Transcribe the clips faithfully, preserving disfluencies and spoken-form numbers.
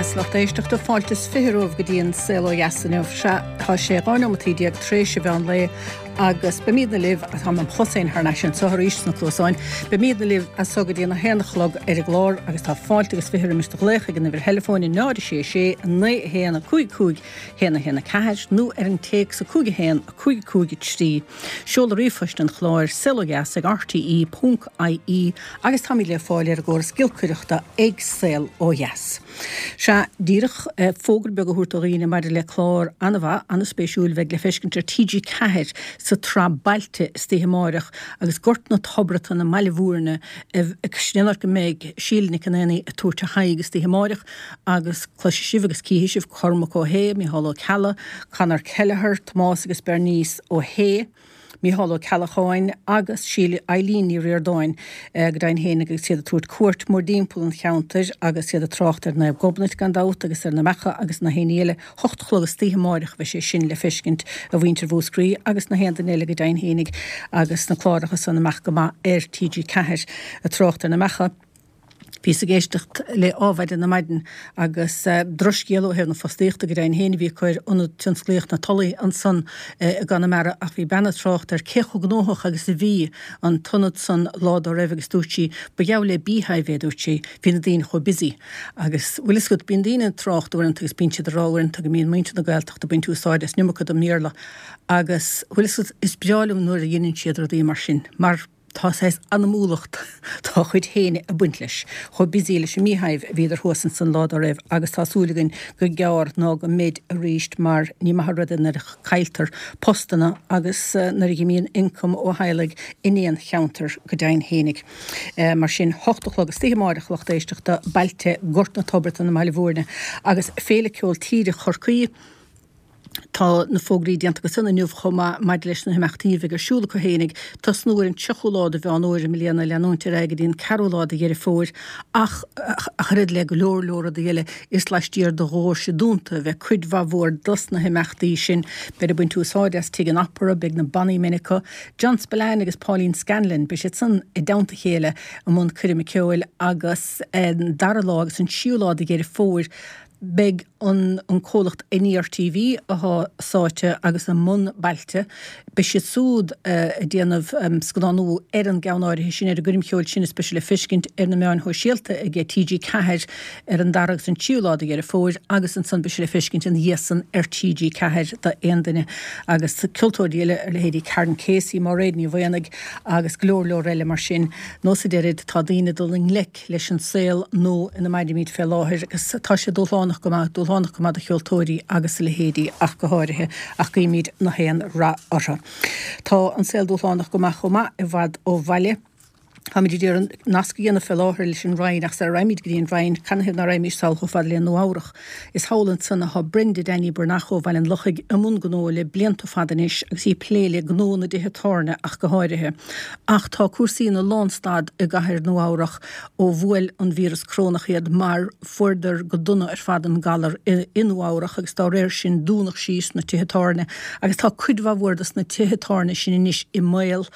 dheas, lucht éisteachta, fáilte is fiche romhaibh go dtí an Saol Ó Dheas inniu. Sea, tá sé dhá neomataí déag tar éis an mheán lae agus beimidne libh, tá mé im chlos féin thar n-ais anseo arís sna cluasáin, beimidne libh as so go dtí an a haon a chlog ar an gclár agus tá fáilte agus fiche roimis do ghlaoch ag an uimhir theileafóin a náid a sé sé naoi a haon a cúig cúig haon a haon a ceathair nó ar an téacs a cúig a haon a cúig cúig a trí. Seoladh ríomhphoist an chláir saolodheas ag R T E ponc I E agus táimid le fáil ar an gcóras giolcaireachta ag Saol Ó Dheas. Sea, díreach fógra beag a thabhairt do dhaoine maidir le clár an-mhaith, an-spéisiúil bheidh le feiscint ar T G Ceathair sa tsraith Bailte istoíche amáireach agus Gort na Tobratan i mBaile Bhúirne sin go mbeidh Síle Nic an Aonaigh ag tabhairt a haghaidh istoíche amáireach agus cloisfidh sibh agus cífidh sibh Cormac Ó hAodha, Micheál Ó Ceallaigh, Conor Kelleher, Tomás agus Bernice Ó hAodha, Micheál Ó Ceallacháin agus Síle Eileen Ní Ríordáin go deimhin féin agus iad ag tabhairt cuairt mórthimpeall an cheantair agus iad ag trácht ar Naomh Gobnait gan dabht agus ar na meacha agus na haon eile. Hocht a chlog istoíche amáireach bheidh sé sin le feiscint a mhuintir Mhúscraí agus na haon duine eile go deimhin féinig agus na cláracha san amach go maith ar T G Ceathair ag trácht ar na meacha. Bhíos ag éisteacht le Adhmhaidin ar maidin agus uh, drochscéal ó thaobh na fostaíochta go deimhin féin a bhí chuir ionad tionsclaíoch na Tulaí ansan uh, gConamara ach bhí bean ag trácht ar cé chomh gnóthach agus a bhí an t-ionad san lá dá raibh agus dúirt sí ba gheall le beehive é, dúirt sí, bhí na daoine chomh busy. Agus bhfuil a fhios agat, bíonn daoine ag trácht uaireanta agus bíonn siad ag rá uaireanta go mbíonn muintir na Gaeltachta ag baint úsáid as an iomarca den mBéarla agus bhfuil a fhios agat, is breá liom nuair a dhéanann siad rudaí mar sin mar tá sé anamúlacht tá chuid féin ag baint leis. Chomh busy leis an mbeehive a bhíodar thuas ansan lá dá raibh agus tá súil againn gur gearr ná go mbeid arís mar ní maith rud nuair a chailltear postanna agus uh, nuair a imíonn ioncam ó theaghlaigh in aon cheantar go deimhin féinig. Uh, mar sin hocht a chlog istoíche amáireach, lucht éisteachta, Bailte, Gort na Tobratan i mBaile Bhúirne agus Féile Ceol Tíre Chorcaí. Tá na fógraí déanta go san inniu chomh maith maidir leis na himeachtaí a bheidh ar siúl acu fhéinig, tosnú ar an tríochú lá de Mheán Fómhair i mbliana, leanúint ar aghaidh go dtí an ceathrú lá de Dheireadh Fómhair ach ach oiread le go leor leor rudaí eile is laistiar de dhoirse dúnta a bheidh cuid mhaith mhór dos na himeachtaí sin. Beidh ag baint úsáid as Tigh an Opera, beidh na bannaí minice, John Spillane agus Pauline Scanlon, beidh siad san i dteannta a chéile i mbun coirme ceoil agus an dara lá agus an tríú lá de Dheireadh Fómhair beidh an, an comhlacht N E R T V atá sáite agus i mbun Bailte, beidh siad súd uh, ag déanamh um, scannánú ar an gceann áirithe sin, ar an gcoirm cheoil sin is beidh sé le feiscint ar na meáin shóisialta ag T G Ceathair ar an dara agus an tríú lá de Dheireadh Fómhair agus ansan beidh sé le feiscint ina dhiaidh san ar T G Ceathair d'aon duine agus ceoltóirí eile ar leithéidí Karen Casey, Máiréad Ní Mhaonaigh agus go leor leor eile mar sin. Nós a deirid tá daoine dul i ngleic leis an saol nó ina mairimid fé láthair agus tá sé dúshlánach go maith, dúshlánach go maith do cheoltóirí agus a leithéidí ach go háirithe ach guímid na haon rath orthu. Tá an saol dúshlánach go maith chomh maith i bhfad ó bhaile. Táimid ag iarraidh nasc a dhéanamh fé láthair leis an Rinn ach sara raghaimid go dtí an Rinn canathaobh nach raghaimís sall chomh fada le Nua Eabhrac. Is thall ansan atá Brenda Danny Burnach ó Bhaile an Lochaigh i mbun gnó le blianta fada anois agus í ag plé le gnó na dtithe tábhairne ach go háirithe. Ach tá cúrsaí ina lánstad i gcathair Nua Eabhrac ó bhuail an víreas corónach iad mar fuaireadar go dona ar fad an galar i, i Nua Eabhrac agus dá réir sin dúnadh síos na tithe tábhairne agus tá cuid mhaith mhór dos na tithe tábhairne sin anois i mbaol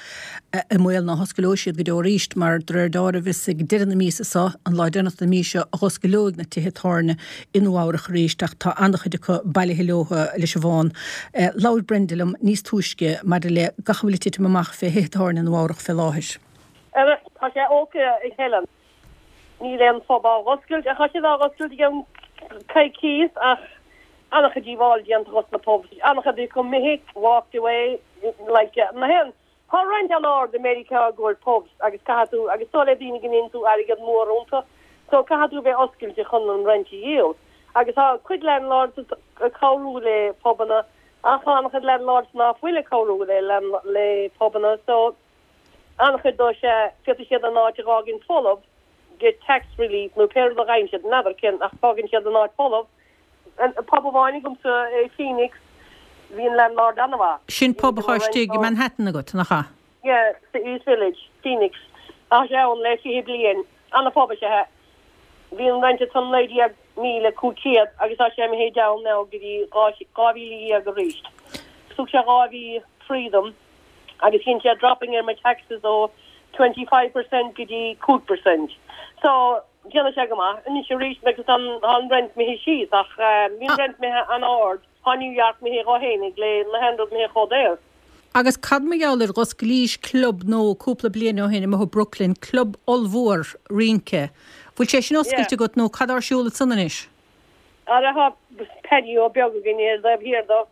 i mbaol nach n-osclóidh siad go deo arís mar de réir dealraimh is ag deireadh na míosa seo, an lá deireanach na míosa, a dh'osclóidh na tithe tábhairne i Nua Eabhrac arís ach tá an-chuid acu bailithe leo leis an bhfán. Eh, Labhair Brenda liom níos túisce maidir le gach a bhfuil ag titim amach fé thithe tábhairne Nua Eabhrac fé láthair. Tá sé okay ag Helen. Níl aon phub á oscailt a cha sé á oscailt ag coicís ach an-chuid díobháil déanta dos na pubs. An-chuid go mbeidh walked away like na hen. Tá rent an-ard i Meiriceá go pubs agus caithfidh tú agus tó le daoine go ndéanann tú airgead mór iontu, so caithfidh tú bheith oscailte chun an rent a dhíol. Agus tá cuid landlords ag cabhrú le pubanna ach an-chuid landlords ná fuil ag cabhrú le le pubanna, so an-chuid dó sé féadfaidh siad an áit a fhágaint folamh, get tax relief nó pé rud a fhaigheann siad n'fheadar cén ach fágann siad an áit folamh. An pub amháin agamsa i Phoenix, bhí an landlord an-mhaith. Sin pub atá istigh i Manhattan agat nach ea? Yeah, the East Village, Phoenix. Tá sé ann le fiche bliain an-phub is ea. Bhí an rent san naoi déag míle cúig chéad agus tá sé imithe down now go dtí dhá mhíle dhéag arís. Thug sé dhá mhí freedom agus dhein sé dropping ar my taxes ó twenty-five percent go dtí cúig percent. So Déanann sé go maith. Anois arís because an an rent imithe síos ach bhí an rent imithe an-ard. Tá New York imithe dhó fhéinig le na haon rud imithe chomh daor. Agus cad mar gheall ar dh'osclaís club nó cúpla bliain ó shin amuigh i Brooklyn, club ollmhór rince. Bhfuil sé sin oscailte agat nó cad ar siúl ansan anois? Ara tá patio beag againn ar dtaobh thiar dó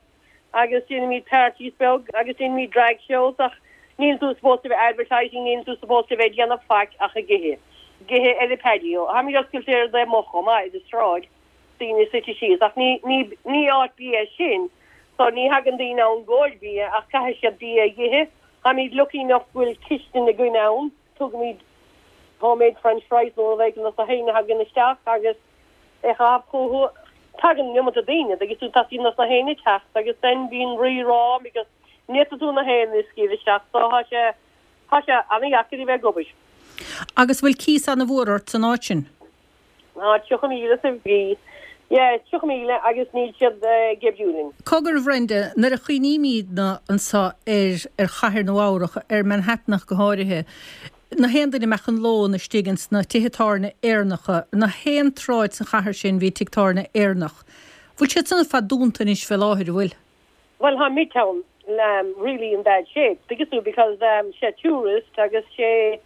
agus déanaimid parties beag agus déanaimid drag shows ach níl tú supposed to be advertising, níl tú supposed to bheith ag déanamh faic ach ag ithe. Ag ithe ar an patio. Tháimid oscailte ar dtaobh amuigh chomh maith, ar an sráid, daoine suite síos ach ní ní ní áit bia é sin so ní thagann daoine ann i gcomhair bia ach caithfidh siad bia a ithe. Tháimid lucky enough go bhfuil cistin againn ann, tugaimid homemade french fries nó rud éigin dos na héinne a thagann isteach agus é chaitheamh chucu. Tagann an iomarca daoine agus tú teastaíonn dos na héinne teacht agus then bíonn rí-rá because ní fhéadfaidh tú na héinne a scaoileadh isteach so tá sé tá sé an-dheacair a bheith ag obair. Agus bhfuil cíos ana-mhór ort san áit sin? Tá tríocha míle sa mhí. Yeah, tríocha míle agus níl siad ag oibriú linn. Cogar a Bhrenda, nuair a chuimhnímidne anso ar ar chathair Nua Eabhrach, ar Manhattan ach go háirithe, na haon duine a mbeadh an lón istigh ins na tithe tábhairne Éireannacha, na haon tsráid sa chathair sin bhí tigh tábhairne Éireannach. Bhfuil siad san ar fad dúnta anois fé láthair, an bhfuil? Bhuel, tá Midtown um, really in bad shape, because because um, sé tourist agus sé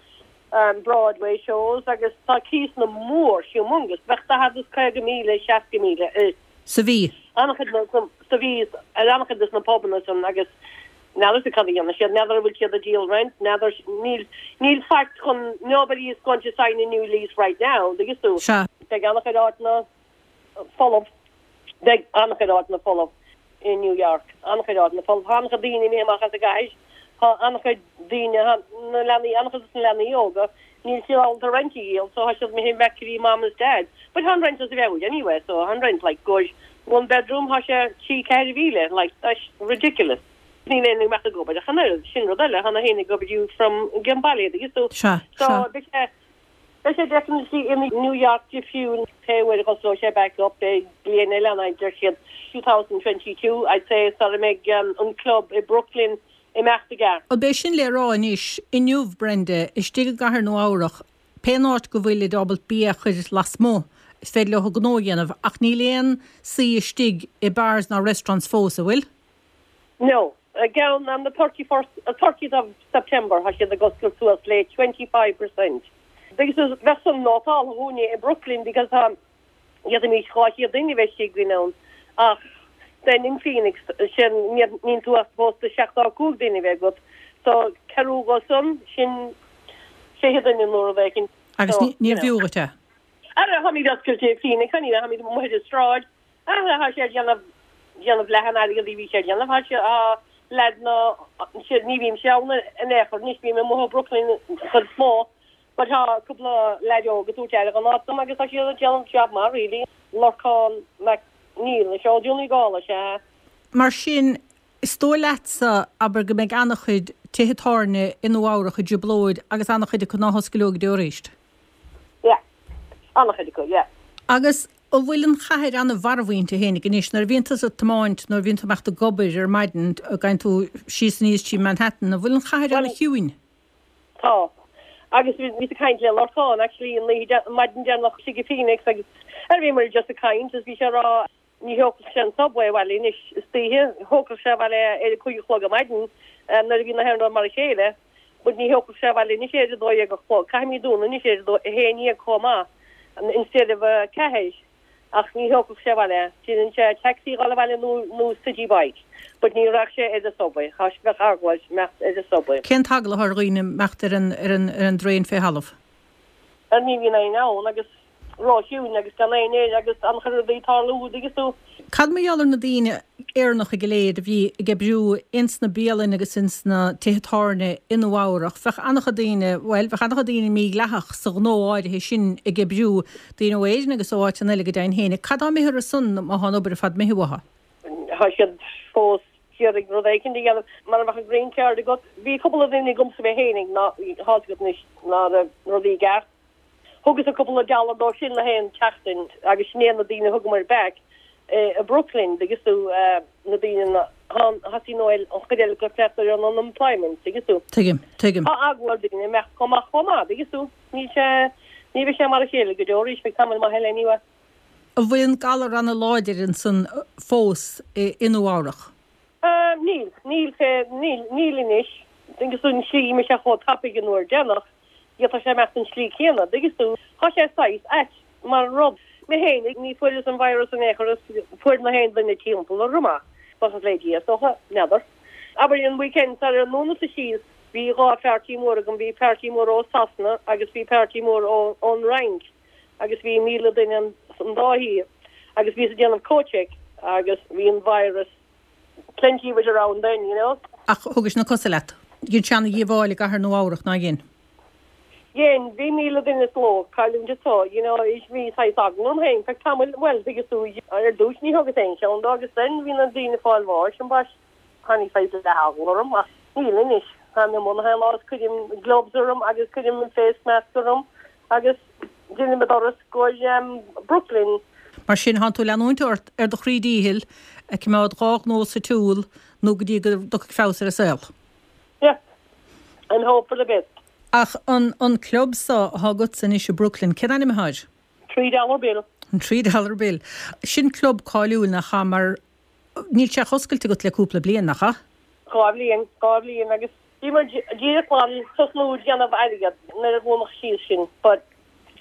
um, Broadway shows agus tá cíosanna mór humongous bheadh daichead is caoga míle seasca míle i Sa mhí. An-chuid sa mhí ar an-chuid des na pubanna san agus n'fheadar cad a dhéanann siad n'fheadar an bhfuil siad ag díol rent n'fheadar níl níl faic chun nobody is going to sign a new lease right now agus tú Sea. Beidh an-chuid áiteanna folamh beidh an-chuid áiteanna folamh in New York an-chuid áiteanna folamh tá an-chuid daoine imithe amach as an gcathair tá an-chuid daoine na leanaí an-chuid des na leanaí óga níl siad ábalta rent a dhíol so tá siad imithe back to mom and dad but tá an rent as a bheith anyway so tá an rent like good one bedroom tá sé trí ceithre mhíle like that's ridiculous. Níl éinne ag imeacht ag obair ach an oiread sin rud eile tá na héinne ag obair from an baile agus so Sea, so sea. beidh sé beidh sé definitely in New York difriúil pé uair a osclóidh sé back up beidh bliain eile ann deir siad two thousand twenty two I'd say sara mbeidh um, an club i Brooklyn imeacht i gceart. An b'é sin le rá anois inniu Brenda istigh i gcathair Nua Eabhrach pén áit go bhfuil siad ábalta bia a chur lasmuigh is féidir leo gnó a dhéanamh ach níl aon suí istigh i bars ná restaurants fós, an bhfuil? No, again on the thirty first, uh, thirtieth of September tá siad ag oscailt suas le twenty five percent. Because bheadh san nótáil dhúinne i Brooklyn because um, d'fhéadfaimis dhá chéad duine a bheith istigh againn ann ach then in Phoenix sin níl tú ach supposed to seachtó a cúig duine a bheith agat. So ceathrú go san sin sé chéad duine nó rud éigin. Agus So, ní- níor you know. bhfiú dhuit é? Ara tháimid oscailte i Phoenix, tháimid amuigh ar an sráid. Ara tá sé ag déanamh déanamh leath an airgid a bhí sé ag déanamh. Tá sé á lead ná sé ní bhím sé ann in aon chor, anois bím amuigh i Brooklyn chuid is mó. But tá cúpla leaid óg ag tabhairt aire don áit dom agus tá siad ag déanamh job maith really. Lorcán Mac Neill, is eo Dún na Gall is ea. Mar sin, is dóigh leatsa, abair, go mbeidh an-chuid tithe tábhairne i Nua Eabhrach i dtrioblóid agus an-chuid acu ná hosclóidh go deo arís? Yeah. An-chuid acu, yeah. Agus an bhfuil an chathair an-mharbh inti fhéinig anois, nuair a bhíonn tusa ag tiomáint, nuair a bhíonn tú ag imeacht ag obair ar maidin, gabhann tú síos aníos trí Manhattan, an bhfuil an chathair Well, an-chiúin? Tá. Agus bhí bhí ag caint le Lorcán, actually, an oíche an maidin deireanach istigh i Phoenix agus ar bhí muid just ag caint is bhí sé ag rá ní thiocfadh sé an subway abhaile anois istoíche, thiocfadh sé abhaile ar a cúig a chlog ar maidin, um, nuair a bhí na haon rud mar a chéile, but ní thiocfadh sé abhaile anois ar a dó dhéag a chlog, caithfimid dúnadh anois ar a dó a haon dhéag chomh maith, an instead of a ceathair, ach ní thiocfadh sé abhaile, déanann sé taxi dhul abhaile nó nó city bike, but ní raghadh sé ar an subway, tá sé bheadh eagla air imeacht ar an subway. Cén t-eagla atá ar dhaoine imeacht ar an ar an ar an dtraein fé thalamh? Ar ní bhíonn éinne ann agus róchiúin agus gan éinne air agus an-chuid rudaí ag tarlú agus tú. Cad mar gheall ar na daoine Éireannacha go léir a bhí ag oibriú ins na bialanna agus ins na tithe tábhairne i Nua Eabhrach? Bheadh an-chuid daoine, bhuel, bheadh an-chuid daoine mídhleathach sa ghnó áirithe sin ag oibriú, daoine ó Éirinn agus ó áiteanna eile go deimhin féin. Cad tá imithe orthu san má tá an obair ar fad imithe uathu? Tá siad fós ag iarraidh rud éicint a dhéanamh mar a bheadh an green card agat. Bhí cúpla duine agamsa mé fhéinig ná tá a fhios agat anois ná raibh rudaí i gceart. Thugas cúpla dollar dóibh sin le haon tseachtain agus sin é na daoine thugamar back i Brooklyn agus tú na daoine na thosaigh nó an chuid eile go fleachtar ar an unemployment agus tú. Tuigim, tuigim. Tá eagla ar daoine imeacht chomh maith chomh maith agus tú níl sé Ní bheidh sé mar a chéile go deo arís, beidh tamall maith eile anyway. An bhfuil an galar an-láidir ansan fós i Nua Eabhrach? Níl, níl fé, níl, níl anois. Agus an slí imigh sé chomh tapaidh an uair deireanach, tá sé imeacht an slí céanna, dtuigeann tú. Tá sé saghas ait mar rud. Mé fhéinig, ní fuaireas an virus in aon chor is fuair na haon duine timpeall orm é. Buíochas le Dia, is dócha, n'fheadar. Abair an weekend sar ar ndúnadh síos, bhí dhá pháirtí mór agam, bhí páirtí mór ó Sasana agus bhí páirtí mór ó ón Fhrainc agus bhí míle duine an dá thaobh agus bhíos ag déanamh coat check agus bhí an virus plenty of it around then, you know. Ach thugais na cosa leat. Dhein sé ana-dhíobháil i gcathair Nua Eabhrach, nár dhein? Dhein, bhí míle duine is ló cailliúint anseo, you know, is bhí saghas eagla orm féin feadh tamaill, bhuel, thuigeas tú, ar dtús ní thugas aon cheann dó agus then bhí na daoine ag fáil bháis, ambaist, tháinig saghas leath-eagla orm ach níl anois, táim i mbun na lá is cuirim gloves orm agus cuirim face mask orm agus deinim an turas go um, Brooklyn. Mar sin tánn tú ag leanúint ort ar do chroí díchill ag coimeád dhá ghnó sa tsiúl nó go dtí go dtiocfaidh feabhas ar an saol. Yeah, and hope for the best. Ach an, an club so atá agat anois i Brooklyn, cén ainm atá air? Three dollar bill. An Three Dollar Bill. Sin club cáiliúil nach ea mar níl sé oscailte agat le cúpla bliain nach ea? Dhá bhliain, dhá bhliain agus bhí muid díreach chun tosnú déanamh airgead nuair a dhúnadh síos sin, but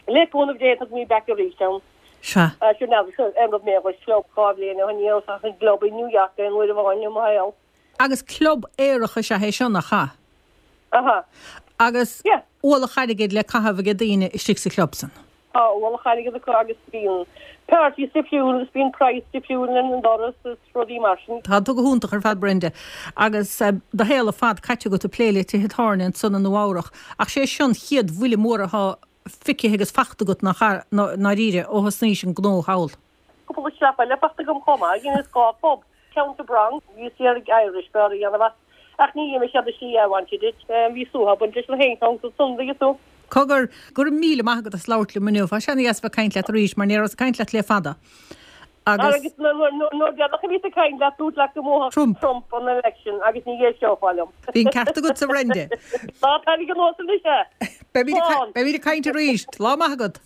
le cúnamh Dé tá mé back arís ann. Sea. Sure n'fheadar an raibh mé ag club dhá bhliain ó shin, ní raibh ach an club i New York aon uair amháin i mo shaol. Agus club aerach is ea é seo nach ea? Aha. Agus Yeah. ualach airgid le caitheamh ag daoine istigh sa chlub san. Tá ualach airgead acu agus bíonn parties difriúil agus bíonn price difriúil an doras is rudaí mar sin. Tá tú go hiontach ar fad Brenda agus uh, do shaol ar fad caite agat ag plé le tithe tábhairne ansan i Nua Eabhrach ach sé sin an chéad bhuille mór atá feicthe agus fachta agat nach ndáiríre ó thosnaís an gnó thall. Cúpla slap eile fachta agam chomh maith, dheineas dhá phub. Ceann sa Bronx, bhíos iarraidh Irish bar a dhéanamh as. Ach ní dhéanfaidh siad slí I wanted it. Bhí suathadh baint leis na haon cheann sa Sunday is tú. Cogar go raibh míle maith agat as labhairt liom inniu, Tá sé an-deas bheith ag caint leat arís mar ní rabhas ag caint leat le fada. Agus Agus nuair deireanach a bhíos ag caint leat dúirt leat go mbuafadh Trump. Trump an election agus ní éisteofá liom. Bhí an ceart agat a Bhrenda. Tá tainig an nósan é. Beimid ag caint arís, lá maith agat.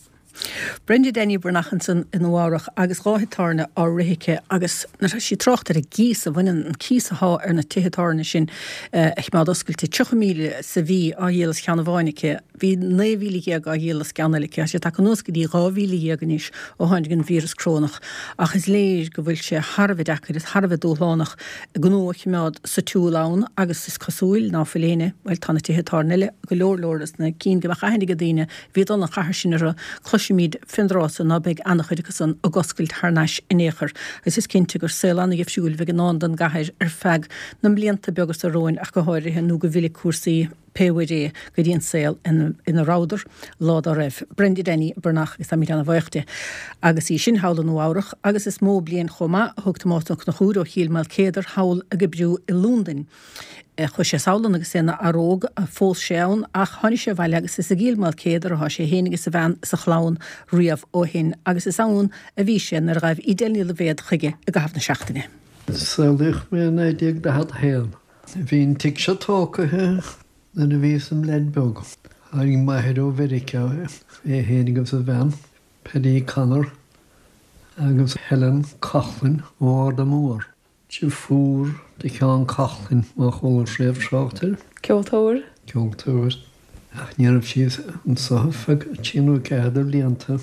Brenda Denny Breathnach ansan i Nua Eabhrach agus dhá thigh tábhairne á rith aici agus nuair atá sí ag trácht ar an gcíos a bhaineann an cíos atá ar na tithe tábhairne sin eh, a choimeád oscailte tríocha míle sa mhí á dhíol as ceann amháin aici, bhí naoi mhíle dhéag á dhíol as ceann eile aici, sé tagtha anuas go dtí dhá mhíle dhéag anois ó tháinig an víreas corónach ach is léir go bhfuil sé thar a bheith deacair is thar a bheith dúshlánach gnó a choimeád sa tsiúl ann agus is cosúil ná fuil éinne, bhuel tá na tithe tábhairne eile go leor leor is na cinn go mbeadh aithne ag daoine bhí dul an chathair sin orthu cloisimid fén dtráth so ná beidh an-chuid acu san ag oscailt thar n-ais in aon chor agus is cinnte gur saol an-dhifriúil a bheidh i ndán don gcathair ar feadh na mblianta beaga seo romhainn ach go háirithe nó go bhfillfidh cúrsaí pé uair é go dtí an saol ina rabhadar lá dá raibh. Brenda Denny Breathnach agus táimid an-bhuíoch di. Agus í sin thall i Nua Eabhrach agus is mó bliain chomh maith a thug Tomás Ó Conchúir ó Chill Maoilchéadair thall ag oibriú i Londain. Chuaigh sé sall agus é ina fhear óg phós sé ann ach tháinig sé abhaile agus is i gCill Maoilchéadair atá sé féin agus a bhean is a chlann riamh ó shin agus is ann a bhí sé nuair a ghaibh Edel Ní Loibhéad chuige i gcaitheamh na seachtaine. Saolaíodh mé i naoi déag daichead a haon. Bhí an tigh seo tógtha nuair a bhíos im leaid beag. Tháinig m'athair ó Mheiriceá é féin agus a bhean, Paddy Connor agus Helen Coughlin ó Arda Mór. Deirfiúr do Sheán Coughlin má chuala sibh trácht air. Ceoltóir? Ceoltóir. Ach ní raibh sí anseo ar feadh trí nó ceathair de bhlianta.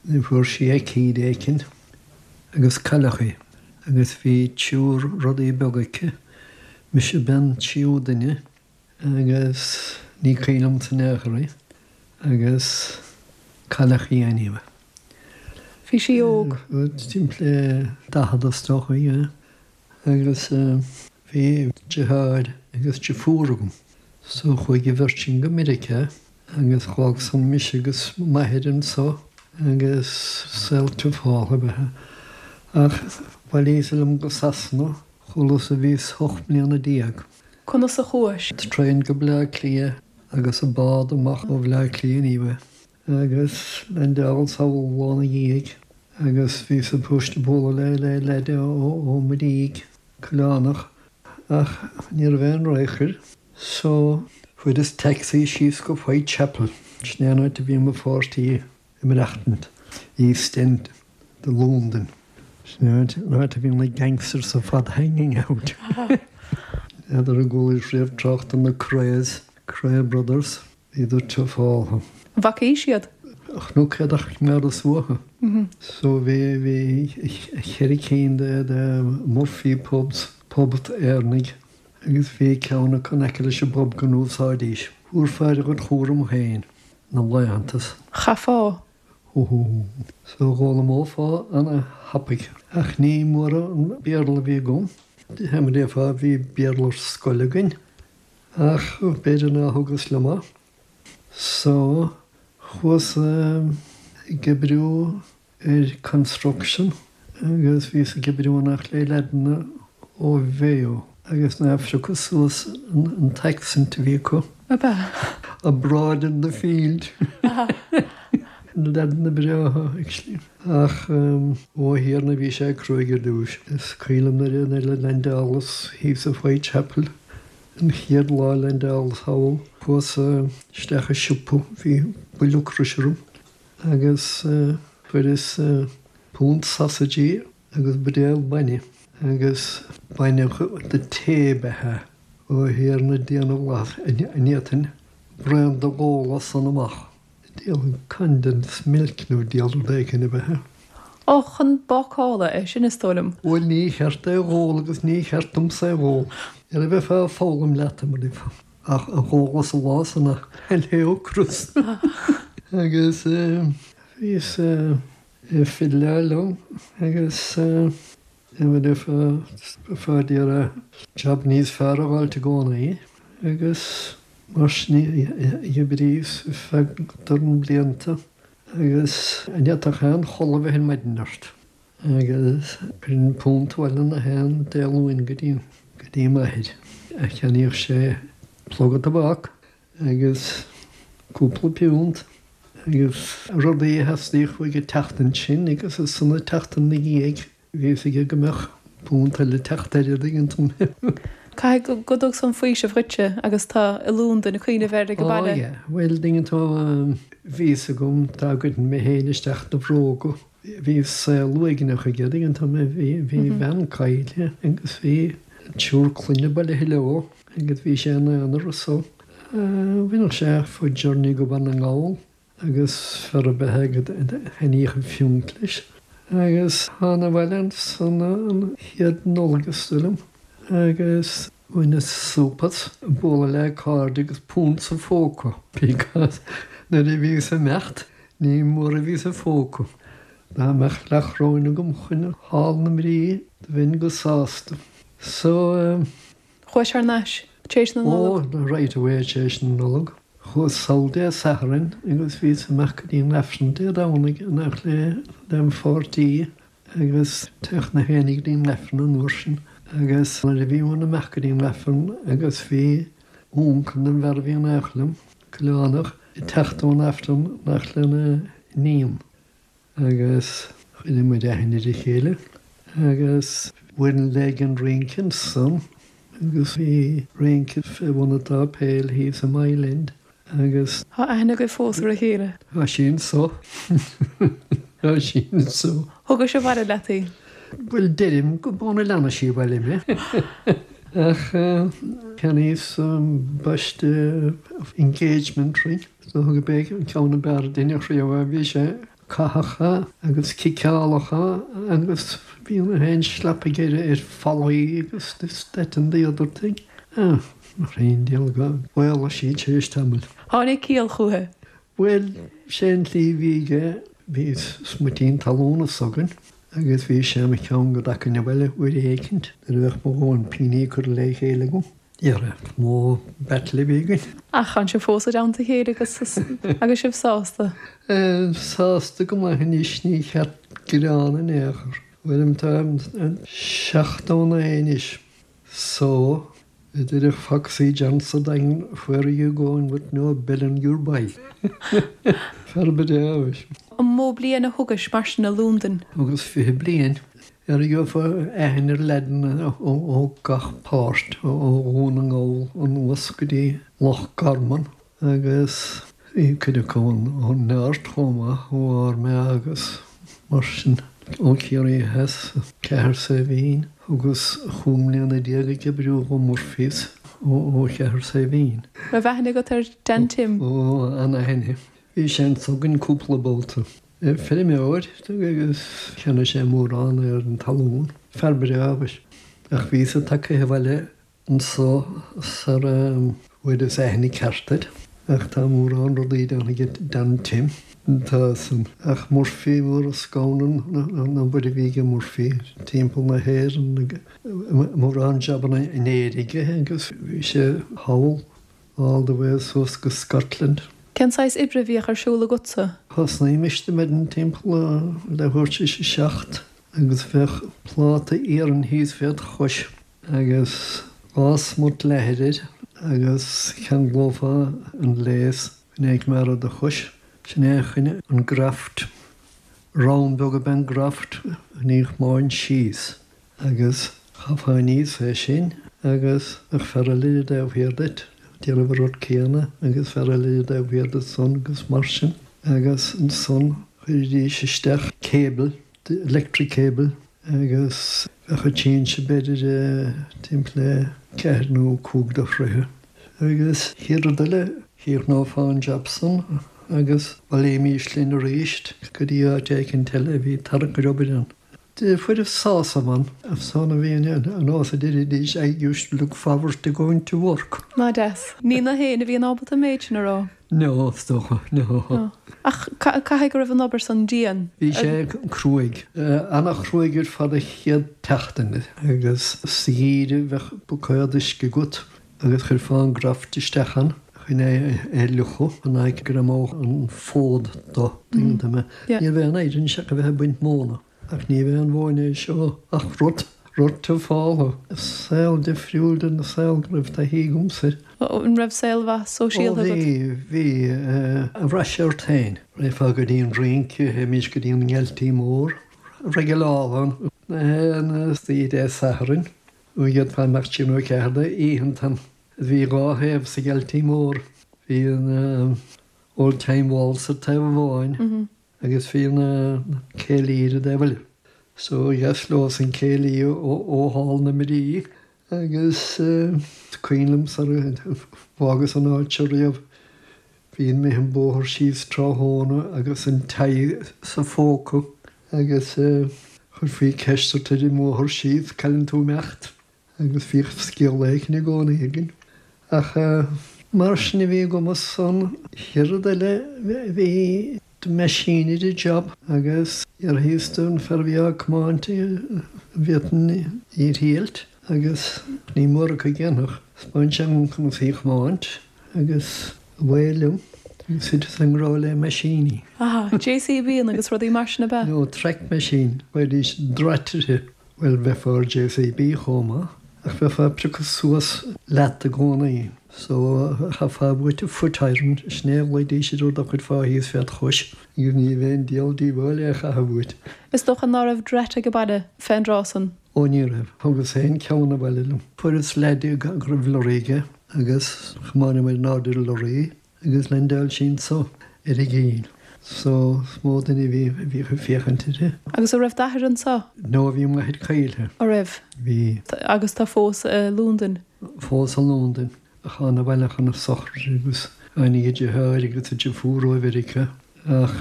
Ní fuair sí aicíd éicint agus cailleadh í. Agus bhí triúr rudaí beaga aici. Mise an tríú duine agus ní cuimhin liomsa in aon chor í agus cailleadh í anyway. Bhí sí óg? Timpeall daichead is dócha í agus bhí deartháir agus deirfiúr agam. So chuaigh an bheirt sin go Meiriceá agus d'fhág san mise agus m'athair anseo agus saol tiufálach ab ea é. Ach bhailíos liom go Sasana chualas a bhíos ocht mbliana déag. Conas a chuais? Traein go Bleá Cliath agus an bád amach ó Bhleá Cliath anyway. Agus landáil sall lá ina dhiaidh agus bhí supposed bualadh le le leaid ó ó Muirígh Coileánach ach ní raibh aon radharc air. So fuaireas taxi síos go Whitechapel. Sin é an áit a bhí mo pháirtí ag maireachtaint, East End de Londain. Sin é an áit a bhí na gangsters ar fad hanging out. N'fheadar an gcualaís riamh trácht ar na Krays, Kray Brothers, bhíodar tufáltha. An bhfacaís iad? Chnoc éadach coimeádas uathu. So bhí bhí cheithre cinn de de Murphy pubs, pubs Éireannaigh, agus bhí ceann acu in aice leis an bpub go n-úsáidís. Thabharfá ar a gcuid chúram féin na laethantas. Chaithfeá. So d'fhoghlaimeofá ana-thapaidh. Ach ní mór an Béarla a bhí agam. Mar a déarfá bhí Béarla ar scoil againn ach b'fhéidir ná thugas liom é. So chuas ag oibriú ar construction agus bhíos ag oibriú in éineacht le leaideanna ó Mhayo agus ná phiocas suas an t-accent a bhí acu. Ab ea? Abroad in the field. Leaideanna breátha actually. Ach ó a Thiarna bhí sé cruaidh ar dtús. Is cuimhin liom nuair a leaindeálas thíos sa Whitechapel an chéad lá a leaindeálas thall chuas isteach i siopa bhí buille ocrais orm agus fuaireas punt sausages agus buidéal bainne agus bainne de tae ba ea. Ó a Thiarna Dia na bhFlaitheas an bhféadfainn braon do dh'ól as san amach. Diabhal condensed milk nó diabhal rud éigin ab ea. Ó, chun bácála é sin is dóigh liom. Bhuel ní cheart é dh'ól agus ní cheart domsa é dh'ól. Ar a bheifeá ag foghlaim leat mar a déarfá. Ach a dh'ólas an lá san le ocras. Agus bhíos ag fiddleáil liom agus mar a déarfá bheifeá d'iarraidh jab níos fearr a fháilt i gcónaí agus mar sin d'oibríos ar feadh dorn blianta agus an bhféadfadh aon chodladh bheith ar maidin ort. Agus chuirfinn punt abhaile na haon Dé Luain go dtí go dtí m'athair. A cheannaíodh sé pluga tobac agus cúpla piúnt agus rudaí a theastaíodh uaidh an tseachtain sin agus ansan an tseachtain ina dhiaidh bhí fhios aige go mbeadh punt eile ag teacht air an dtuigeann tú. Caithfidh go dtug san faoiseamh dhuitse agus tú i Londain ag cuimhneamh air ag an Ó baile. yeah, bhuel dtuigeann tú bhí fhios agam dá gcuirfinn mé féin isteach na bhróga. Bhí saol uaigneach aige dtuigeann tú mé bhí bhí bean caillte agus bhí triúr clainne bailithe leo agus bhí sé ina aonar so bhainfeadh sé foot journey go Baile na nGall agus fear ar bith aige a thaitníodh an phiúnt leis. Agus thána abhaile ansan an chéad Nollaig is dóigh liom agus bhaineas súp as bualadh le cairde agus punt sa phóca because nuair a bhíos ag imeacht ní mór a bhí sa phóca. Dá mbeadh leathchoróin agam chun thall na mbrí do bheinn go sásta. So Chuais thar n-ais tar éis na Ó Nollag? right away tar éis na Nollag. Chuas sall Dé Sathairn agus bhíos amach go dtí an Aifreann Dé Domhnaigh in éineacht le lem pháirtí agus théadh na héinne go dtí an Aifreann an uair sin. Agus nuair a bhí muid amach go dtí an Aifreann agus bhí uncail den bhfear a bhí in éineacht liom, Coileánach, ag teacht ón Aifreann in éineacht lena iníon. Agus chuir muid aithne ar a chéile agus bhain léig an rince ansan agus bhí rince fé bhun an tsáipéil thíos i Mile End agus Tá aithne agaibh fós ar a chéile. Tá sí anso. Tá sí anso. Thugais abhaile leat í? Bhuel deirim go b'óna leanna sí abhaile mé. Ach cheannaíos baiste engagement ring. So thug b'é an ceann ab fhearr a deineadh riamh bhí sé cathacha agus ciceálacha agus bhí na haon slap aige ar fallaí agus this that and the other thing. Ah, mar aon diabhal go bhfaolaigh sí tar éis tamaill. Tháinig ciall chúithi? Bhuel sé an tslí a bhí aige bhí smuitín talún s'againn agus bhí sé mo cheann go dtagainn abhaile uair éicint nuair a bheadh mo dhóthain pingní curtha le chéile agam. Dhera, mó battle a bhí againn. Ach tá sibh fós i dteannta a chéile agus agus sibh sásta? Sásta go maith anois ní cheart gearán in aon chor. Bhuel tá seachtó naoi anois. So a deir Foxy John sa Daingean where are you going with no bell on your bike? Fear breá é. An mó bliain a thugais mar sin i Londain? Thugas fiche bliain. Ar gheofá aithne ar leaideanna ó gach páirt ó Dhún na nGall anuas go dtí Loch Garman agus Bhí cuid acu ón Neart chomh maith, ó Ard Mheá agus mar sin ó Chiarraí Theas, Cathair Saidhbhín, agus chúig mbliana déag ag oibriú do Murphy's ó Chathair Saidhbhín. Raibh aithne agat ar Dan Tim? Ó, ana-aithne. Bhí sé anso againn cúpla babhta. Feirmeoir agus cheannaigh sé mórán ar an talún. Fear breá abhus. Ach bhíos tagtha abhaile anso sara bhfuaireas aithne ceart air. Ach tá mórán rudaí déanta ag Dan Tim. Tá san. Ach Murphy mór scamhan an obair a bhí ag Murphy timpeall na hÉireann mórán jabanna in Éirinn aige agus bhí sé thall all the way suas go Scotland. Cén saghas oibre a bhíodh ar siúl agatsa? Thosnaímis ar maidin timpeall leathuair tar éis a seacht agus bheadh pláta iarainn thíos fé do chois agus dhá smut leathair air agus cheanglófá an léas chun é a choimeád ar do chois. Sin é chun an graft. Round beag ab ea an graft ní chomáin síos agus chaithfeá aníos é sin agus bheadh fear eile ar an dtaobh thiar duit ag déanamh an rud céanna agus fear eile ar an dtaobh thiar duit san agus mar sin. Agus ansan chuiridís isteach cable, electric cable agus bheadh an tsinse b'fhéidir timpeall le ceathair nó cúig de throithe. Agus chéad rud eile chríochnófá an jab san agus bhailímis linn arís go dtí áit éicint eile a bhí tarrac ar obair ann. Fuaireas sásamh ann, san a bhí an nós a deiridís I used to look forward to going to work. Ná deas. Ní gach éinne a bhíonn ábalta an méid sin a rá. No, is dócha, no. Ach caithfidh go raibh an obair san dian? Bhí sé cruaidh. Ana-chruaidh ar fad an chéad tseachtain agus sa gheimhreadh bheadh buicéad uisce agat agus chuirfeá an graft isteach ann chun é a fhliuchadh chun é go greamódh an fód do tuigeann tú mé. Ní raibh aon oidhre anseo ach a bheith ag baint móna. Ach ní bheith an mhóin é seo ach rud, rud a fála. Saol difriúil den saol go raibh taithí agamsa. An raibh saol mhaith sóisialta agat? Ó bhí, bhí. Bhraith sé ort féin. Rachfá go dtí an rince, théimis go dtí an nGealtaí Mór. Regular ann. Na oíche Dé Sathairn, ó d'fhéadfá imeacht trí nó ceathair d'oícheanta. Bhí dhá thaobh sa Ghealtaí Mór. Bhí an Old Time Waltz ar taobh amháin agus bhí an céilí ar an dtaobh eile. So dheas leo san céilí ó Hall na Mrí agus cuimhin liom sar a bhfágas an áit seo riamh. Bhí mé an bóthar síos tráthnóna agus an tie sa phóca agus chuirfí ceist ort ar an mbóthar síos, cá bhfuil tú ag imeacht agus bhíodh scéal éigin i gcónaí againn. Ach mar sin a bhí agam san chéad rud eile bhí the machinery job agus d'iarrathas don fear a bhí á comáint an bhféadfainn í a thriailt agus ní mór acu a dhéanfadh. Spáin sé an conas í a chomáint agus away liom agus thiteas i ngrá le meaisíní. Aha, JCB agus rudaí mar sin ab ea? No, track machine, bheidís drait uirthi. Bhuel, bheifeá ar JCB chomh maith, ach bheifeá ag priocadh suas leat i gcónaí. So chaithfeá uait a foot iron, sin é a ghlaoidís ar rud a chuirfeá thíos fé do chois agus ní bheadh aon diabhal díobháil é a chaitheamh uait. Is dócha ná raibh drait ag baile fén dtráth san? Ó ní raibh. Thugas féin ceann abhaile liom. Fuaireas leaid go raibh lorry aige agus chomáineamar in airde ar an lorry agus leaindeáil sí anso ar an gcinn. So is mó duine a bhí a bhíodh ag féachaint uirthi. Agus an raibh d'athair anso? No, bhí m'athair caillte. An raibh? Bhí. Agus tá fós i Londain? Fós i Londain. Ach thána abhaile chun a sochraide agus tháinig a deartháir agus a deirfiúr ó Mheiriceá. Ach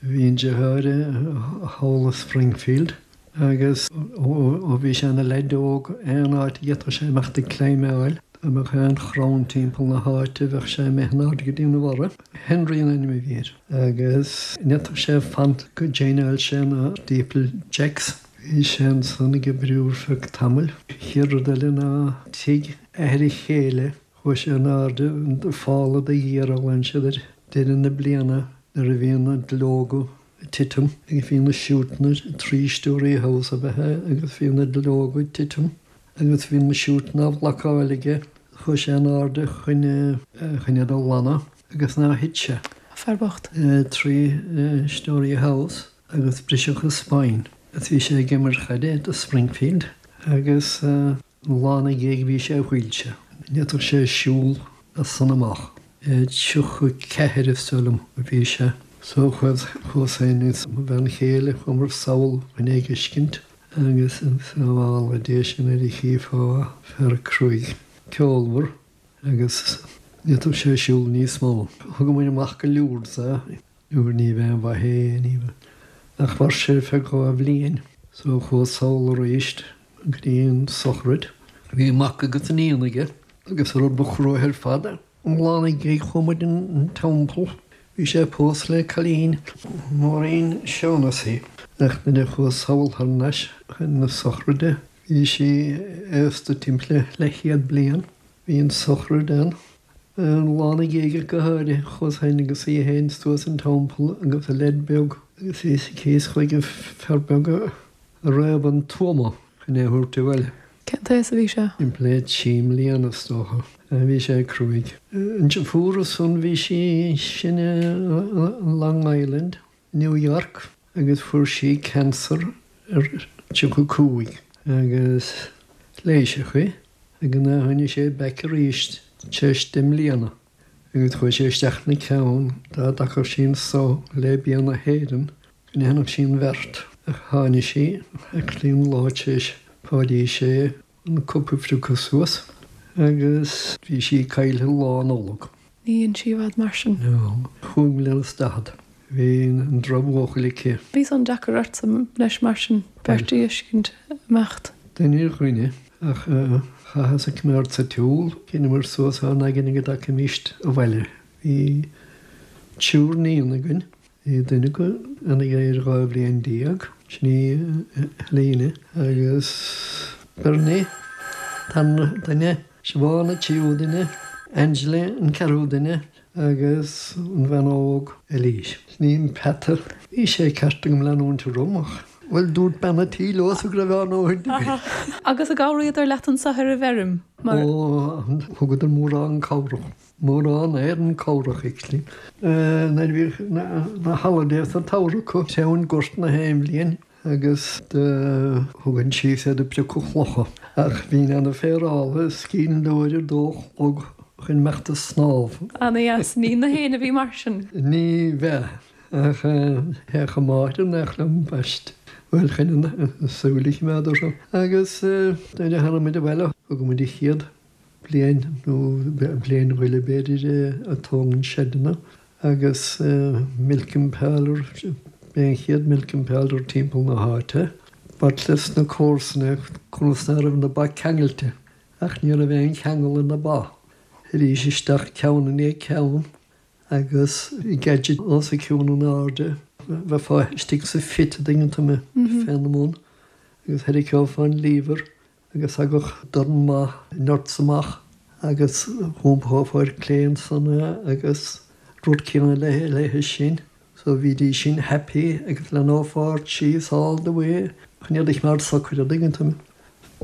bhí an deartháir thall i Springfield agus ó bhí sé ina leaid óg aon áit a d'fhéadfadh sé imeacht ag climbáil, dá mbeadh aon chrann timpeall na háite bheadh sé imithe in airde go dtí na bharra. Henry an ainm a bhí air. Agus ní fhéadfadh sé fanacht go dtraenáil sé na steeple jacks. Bhí sé ansan ag oibriú ar feadh tamaill. Chéad rud eile ná tigh athair a chéile, chuaigh sé in airde an falla de ghiorra a ghlan siad air deireadh na bliana nuair a bhí na duilleoga ag titim agus bhí na siútanna three storey house ab ea é agus bhí na duilleoga ag titim agus bhí na siútanna á bhlocáil aige. Chuaigh sé in airde chun chun iad a ghlanadh agus ná thit sé. Fear bocht. Three storey house agus briseadh a spine. Agus bhí sé ag imirt chaide do Springfield agus lá ina dhiaidh bhí sé i wheelchair. Ní fhéadfadh sé siúl as san amach. Tríocha ceathair is dóigh liom a bhí sé. So chuas féin is mo bhean chéile chuamar sall chun é a fheiscint agus sábhála Dia sinn nuair a chífeá fear cruaidh ceolmhar agus ní fhéadfadh sé siúl níos mó. Thug muid amach go Lourdes é nuair ní bheadh aon mhaith é ní bheadh. Ach mhair sé ar feadh dhá bhliain so chuas sall arís go dtí an sochraid. Bhí mac agus iníon aige agus an rud ba chruaidhe ar fad an lá ina dhiaidh chuaigh muid an teampall. Bhí sé pósta le cailín Maureen Shaughnessy ach nuair a chuas sall thar n-ais chun na sochraide bhí sí aosta timpeall le leathchéad bliain. Bhí an sochraid ann. An lá ina dhiaidh go háirithe chuas féin agus í féin suas an teampall agus a leaid beag agus bhí sí cíos chuig an fear beag a réab an tuama chun é a thabhairt abhaile. Cén t-aos a bhí sé? Timpeall le trí mbliana is dócha. Bhí sé cruaidh. An deirfiúr ansan bhí sí sin i Long Island, New York agus fuair sí cancer ar tríocha cúig agus leighiseadh í agus nuair a tháinig sé back arís tar éis deich mbliana agus chuaigh sé isteach ina ceann dá dtacadh sí anso le bia na hÉireann go ndéanfadh sí an bheart ach tháinig sí actually an lá tar éis Páidí sé an cup a phriocadh suas agus bhí sí caillte lá Nollag. Ní dhein sí i bhfad mar sin. No, chúig mbliana is daichead. Bhí an drochbhuachaill aici. Bhí san deacair ortsa leis mar sin beirt a fheiscint imeacht. Duine ar dhuine ach chaitheas a coimeád sa tsiúl, shíneamar suas ár n-aigne go dtagfaimíst abhaile. Bhí triúr níon againn. Bhí duine acu ina ghéire dhá bhliain déag, sin í Helena, agus Bernie an dara duine, Siobhán an tríú duine, Angela an ceathrú duine agus an bhean óg Eilís. Sin í an peata. Bhí sé ceart agam leanúint orm ach, bhuel, dúirt bean an tí leosa go raibh ann ó shin. Agus an gcabhraíodar leat anso ar an bhfeirm mar. Ó, thugadar mórán cabhrach. Mórán éadan cabhrach actually. Nuair a bhíodh na holidays an tsamhradh acu, téann gort na haon bhliain agus do thugainn síos iad ag piocadh clocha. Ach bhínn ann ag féaráil is cinn leor ar dó a chlog chun imeacht ag snámh. Ana-dheas. Ní na héinne a bhí mar sin. Ní bheadh. Ach théadh a máthair nach liom baist. Bhuel, chun an súil a choimeád orthu. Agus nuair a tháinig muid abhaile, thug muid an chéad bliain nó bliain go leith b'fhéidir ag tógaint seideanna agus milking parlour, b'é an chéad milking parlour timpeall na háite. B'ait leis na comharsana conas ná raibh na ba ceangailte ach ní raibh aon cheangal ar na ba. Arís isteach ceann i ndiaidh ceann agus gadget os a cionn in airde, bheifeá istigh sa phit a dtuigeann tú mé, féna mbun agus tharraiceofá an lever agus thagadh dorn maith nuts amach agus dh'iompófá ar clé ansan é agus rud céanna léithe sin. So bhídís sin happy agus leanófá ort síos all the way chun iad a choimeád socair a dtuigeann tú mé.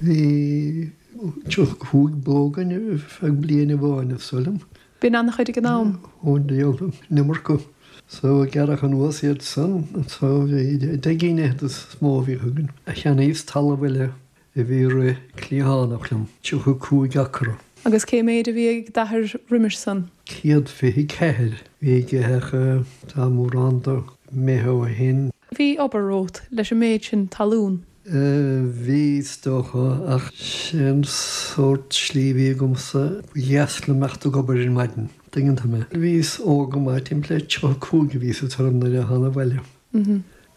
Bhí tríocha cúig bó againn ar feadh bliain amháin is dóigh liom. B'in an-chuid ag an am. Ó an iomarca. So gearradh anuas iad san so bhí deich gcinn fhichead is mó a bhíodh againn. Cheannaíos talamh eile a bhí rith cliathánach liom, tríocha cúig acra. Agus cé méid a bhí ag d'athair roimis san? Céad fiche ceathair bhí aige ach tá mórán de imithe ó shin. Bhí obair romhat leis an méid sin talún. Bhí, is dócha, ach sin sórt slí a bhí agamsa. Ba dheas liom imeacht ag obair ar maidin, tuigeann tú mé. Bhíos óg go maith, timpeall le tríocha cúig a bhíos ag tuairim nuair a thána abhaile.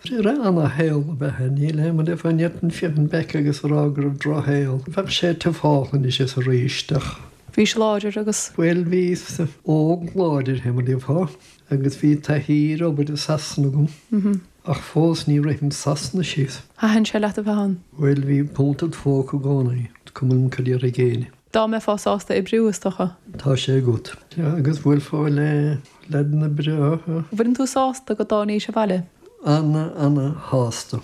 Ana-shaol ab ea é, níl aon rud fá n'fhéadfainn féachaint back agus a rá go raibh drochshaol. Bheadh sé tufálach anois is arís ach. Bhís láidir agus. Bhuel, bhíos óg láidir, mar a déarfá, agus bhí taithí ar obair i Sasana agam. Ach fós ní rithim Sasana síos. Thaitin sé leat a bheith ann? Bhuel, bhí punt id phóca i gcónaí, cuma liom cad déarfaidh éinne. Dá mbeifeá sásta oibriú, is dócha. Tá sé agat. Agus bhuailfeá le leaideanna breátha. Bhfuileann tú sásta go dtáinís abhaile? Ana, ana-shásta.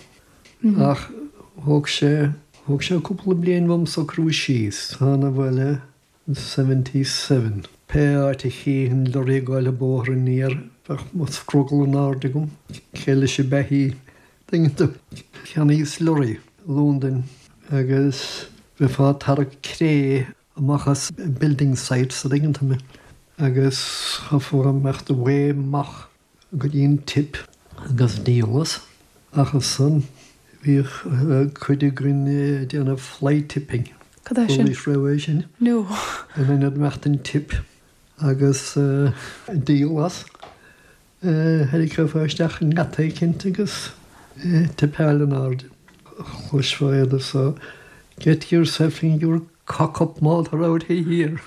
Ach thóg sé, thóg sé cúpla bliain uaim socrú síos. Thána abhaile in seventy seven. Pé áit a chífinn lorry ag gabháil an bóthar aniar, bheadh mo scrogall in airde agam. Cé leis an beithí? Tuigeann tú. Cheannaíos lorry i Londain agus bheifeá ag tarrac cré amach as building sites, a dtuigeann tú mé. Agus chaithfeá imeacht away amach go dtí an tip agus díol as. Ach ansan bhíodh cuid againn ag déanamh fly tipping. Cad é sin? Chualaís riamh é sin? No. In ionad imeacht an tip agus díol as, tharraiceofá isteach i ngeata eicínt agus tipeáil in airde. Chloisfeá iad so, Get yourself in your cock up máthair out here.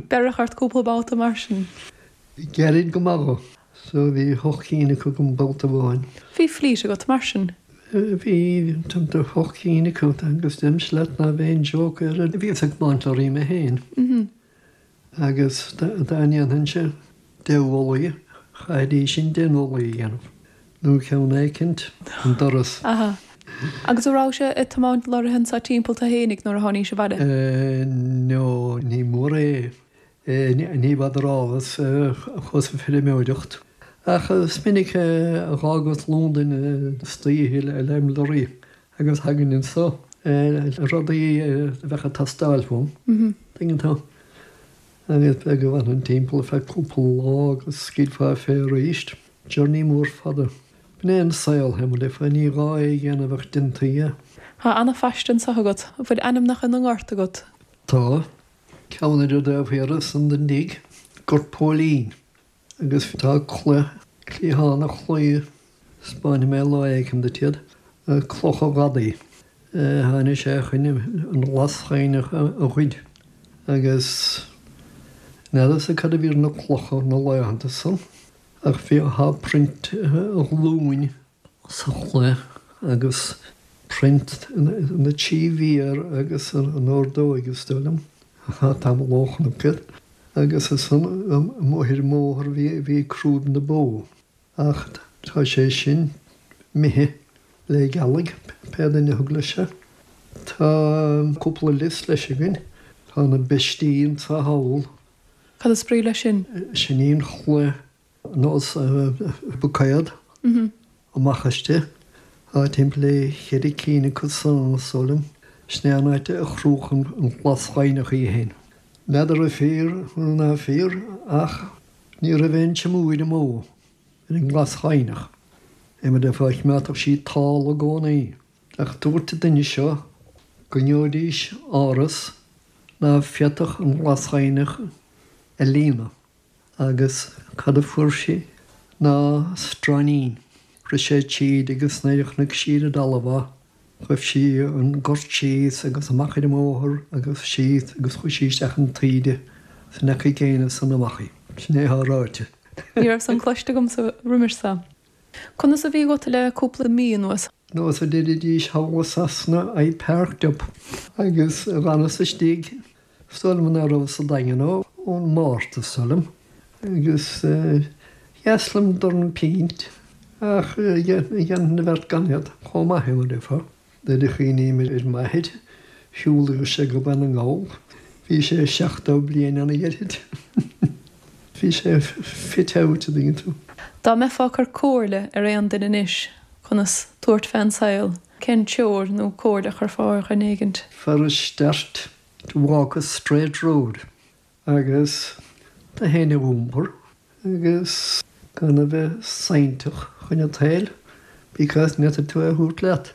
Beireadh ort cúpla babhta mar sin. Gairid go maith dhó. So bhí hocht cinn acu agam babhta amháin. Bhí flít agat mar sin? Bhí timpeall hocht cinn acu agus deirimse leat ná bheinn joke ar a bhíos ag tiomáint lorraí mé féin. Agus dá ndéanfainnse deich bhfolaigh, chaithfidís sin deich n-olaí a dhéanamh, nó ceann éicint, an doras. Aha. Agus an rabhais ag tiomáint lorraithe anso timpeall tú fhéinig nuair a tháinís abhaile? No, ní mór é. Ní bhfeadar áthas chuas ag feirmeoireacht. Ach is minic a dh'fhágas Londain istoíche lem lorraí agus thagainn anso rudaí a bheadh ag teastáil uaim, tuigeann tú. Agus b'fhéidir go bhfanfainn timpeall ar feadh cúpla lá agus scaoilfeá fé arís. Journey mór fada. B'in é an saol, mar a déarfá, ní gá é a dhéanamh ach déantaí é. Tá ana-phaiste anso agat. An bhfuil ainmneacha na ngort agat? Tá. Ceann ar an dtaobh thiar ansan den dtigh, Gort Póilín. Agus tá cloich, cliathán an chlaí, 'spáinfidh mé lá éigin duit iad, cloch an ghadaí. Tháinig sé chun an ghlasghaibhneach a ghoid agus n'fheadarsa cad a bhí ar na clocha na laethanta san ach bhí, tá print a ghlúin sa chloich agus print na trí mhéar agus an ordóig is dóigh liom, tá tamall ó chonac iad. Agus ansan amuigh ar an mbóthar bhí crúib na bó. Ach tá sé sin imithe le gealaigh, pé duine a thug leis é. Tá cúpla lios leis againn. Tá na beistí anso thall. Cad is brí leis sin? Sin í an chloich nós buicéad amach aisti. Tá timpeall le cheithre cinn acu san, is dóigh liom. Sin é an áit a chroch an ghlasghaibhneach í féin. N'fheadar an fíor nó ná fíor ach ní raibh aon tseamúir amú ar an nGlasghaibhneach. É mar a déarfá choimeádfadh sí tall i gcónaí. Ach dúirt an duine seo go ngeobhaidís áras ná féadfadh an Ghlasghaibhneach a líonadh. Agus cad a fuair sí ná stroighnín. Rith sé tríd agus nuair a chonaic sí ar an dtalamh é, Ghaibh sí an gort síos agus amach ar an mbóthar agus síos agus chuaigh sí isteach an taoide san aice gcéanna san amach í. Sin é atá ráite. Ní raibh san cloiste agamsa roimis seo. Conas a bhí agat le cúpla mí anuas? Nós a deiridís thall i Sasana I parked up agus dh'fhanas istigh. Is dóigh liom ná raibh sa Daingean ón Márta, is dóigh liom. Agus dheas liom dorn pínt ach dhéanfainn an bheart gan iad chomh maith, mar a déarfá. Nuair a chuimhním ar m'athair, shiúladh sé go Beanna na nGall. Bhí sé seachtó bliain ann a dheirfid. Bhí sé fit out, a dtuigeann tú. Dá mbeifeá ag cur comhairle ar aon duine anois conas tabhairt fén saol, cén treoir nó comhairle a chuirfeá ar dhuine éigint? For a start, to walk a straight road agus do fhéin a iompar agus gan a bheith sainnteach chun an tsaoil because ní fhéadfaidh tú é a thabhairt leat.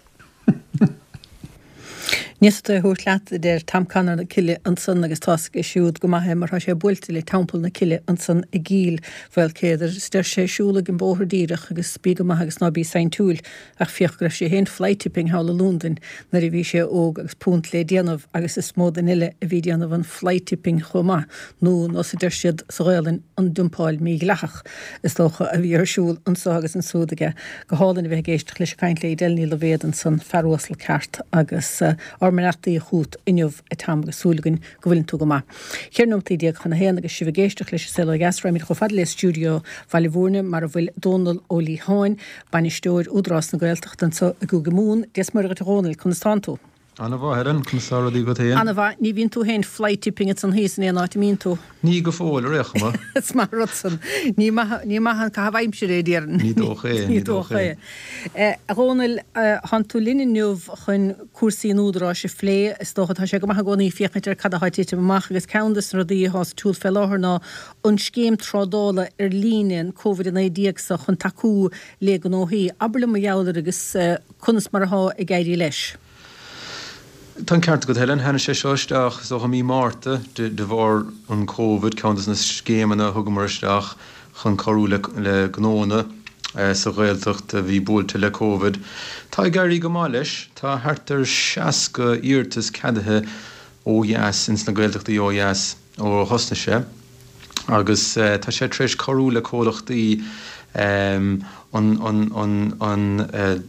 Ní fhéadfaidh tú é a thabhairt leat, a deir Tom Connor na Cille ansan agus tá's aige siúd go maith é mar tá sé buailte le Teampall na Cille ansan i gCill Mhaoilchéadair. Is deir sé siúlaigh an bóthar díreach agus bí go maith agus ná bí saintiúil. Ach féach go raibh sé féin fly-tipping thall i Lúndain nuair a bhí sé óg agus punt le déanamh agus is mó duine eile a bhí déanamh an fly-tipping chomh maith, nó nós a deir siad sa Ghaolainn an dumpáil mhídhleathach is dócha a bhí ar siúl anso agus ansúd aige. Go hálainn a bheith ag éisteacht leis ag caint le Edel Ní Loibhéad ansan, fear uasal ceart agus ár mbeannachtaí chút inniu a Tom agus súil againn go bhfuileann tú go maith. Ceithre nóimeataí déag chun a haon agus sibh ag éisteacht leis an Saol Ó Dheas, raghaimid chomh fada le stiúideo Bhaile Mhúirne mar a bhfuil Dónal Ó Liatháin, Bainisteoir Údarás na Gaeltachta anseo i gCúige Mumhan. Dia 's Muire dhuit a Dhónaill, conas tánn tú? Ana-mhaith, Helen, conas tá rudaí agat féin? Ana-mhaith, ní bhíonn tú féin fly-tipping ansan thíos in aon áit a mbíonn tú. Ní go fóill, ar aon chuma. Is maith an rud san. Ní maith, ní maith an caitheamh aimsire é, déarfainn. Ní dócha é, ní dócha é. A Dhónaill, thánn tú linn inniu chun cúrsaí an Údaráis a phlé. Is dócha, tá sé go maith i gcónaí féachaint ar cad atá ag titim amach agus ceann de na rudaí atá sa tsiúl fé láthair ná an scéim trádála ar líne, an Covid a naoi déag so, chun tacú le gnóthaí. Abair liom mar gheall air agus conas mar atá ag éirí leis. Tá an ceart agat Helen, tháinig sé seo isteach is dócha mí Márta de de bharr an Covid, ceann de na scéimeanna a thugamar isteach chun cabhrú le le gnóanna sa Ghaeltacht a bhí buailte le Covid. Tá ag éirí go maith leis, tá thart ar seasca iarratas ceadaithe ó dheas ins na Gaeltachtaí ó dheas ó thosnaigh sé. Agus tá sé tar éis cabhrú le comhlachtaí an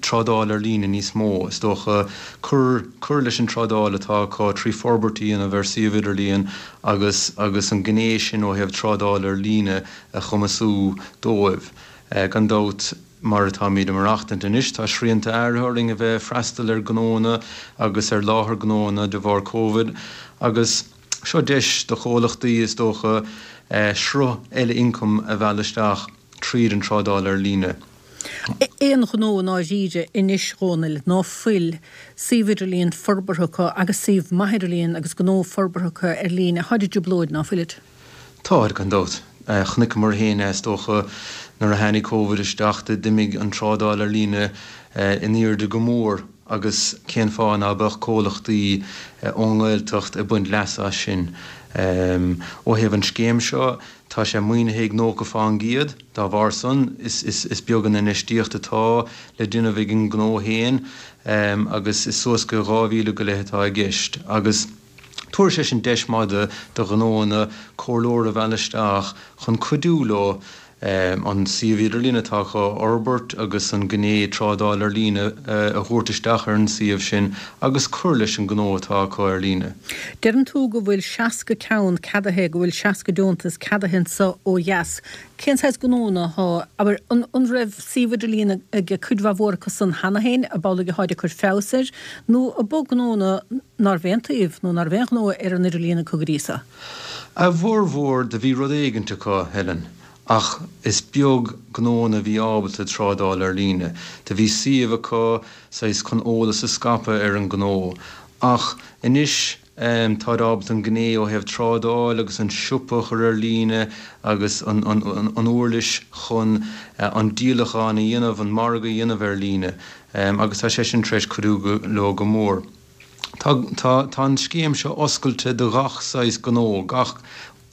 trádáil ar líne níos mó, is dócha, cur cur leis an trádáil atá acu trí forbairt a dhéanamh ar suíomh idirlíon agus agus an gné sin ó thaobh trádáil ar líne a chumasú dóibh. Gan dabht, mar atáimid ag maireachtaint anois, tá srianta áirithe orainn a bheith ag freastal ar ghnóanna agus ar láthair gnóanna de bharr Covid agus seo deis do chomhlachtaí, is dócha, sruth eile ioncaim a mhealladh isteach tríd an trádáil ar líne. Aon ghnó i ndáiríre anois, a Dhónaill, ná fuil suíomh idirlíon forbartha acu agus suíomh maith idirlíon agus gnó forbartha acu ar líne, táid i dtrioblóid, ná fuilid? Táid, gan dabht. Chonaiceamar féin é, is dócha, nuair a tháinig Covid isteach, d'imigh an trádáil ar líne in airde go mór agus cén fáth ná beadh comhlachtaí ón nGaeltacht ag baint leasa as sin? Ó thaobh an scéim seo, tá sé maoinithe ag nócha fán gcéad, dá bharr san, is beag an infheistíocht atá le déanamh ag an ngnó féin agus is suas go dhá mhíle go leith atá i gceist agus tabharfaidh sé sin deis maith do ghnóanna comhairleoir a mhealladh isteach chun cuidiú leo an suíomh idirlín atá acu a fhorbairt agus an ghné trádáil ar líne a thabhairt isteach ar an suíomh sin agus cur leis an ngnó atá acu ar líne. Deireann tú go bhfuil seasca ceann ceadaithe, go bhfuil seasca deontas ceadaithe anso ó dheas. Cén saghas gnónna atá, abair, an an raibh suíomh idirlín ag cuid mhaith mhór acu san cheana féin, ab amhlaidh atáid ag cur feabhas air, nó ab eo gnónna ná raibh aon tsuíomh nó ná raibh aon ghnó ar an idirlíon acu go dtí so? A bhformhór do bhí rud éigint acu, Helen. Ach is beag gnónna a bhí ábalta trádáil ar líne. Do bhí suíomh acu, saghas chun eolas a scaipeadh ar an ngnó. Ach anois táid ábalta an gné ó thaobh trádáil agus an siopa a chur ar líne agus an an uirlis chun an díolachán a dhéanamh, an margadh a dhéanamh ar líne. Agus tá sé sin tar éis cuidiú leo go mór. Tá tá tá an scéim seo oscailte do ghach saghas gnó, gach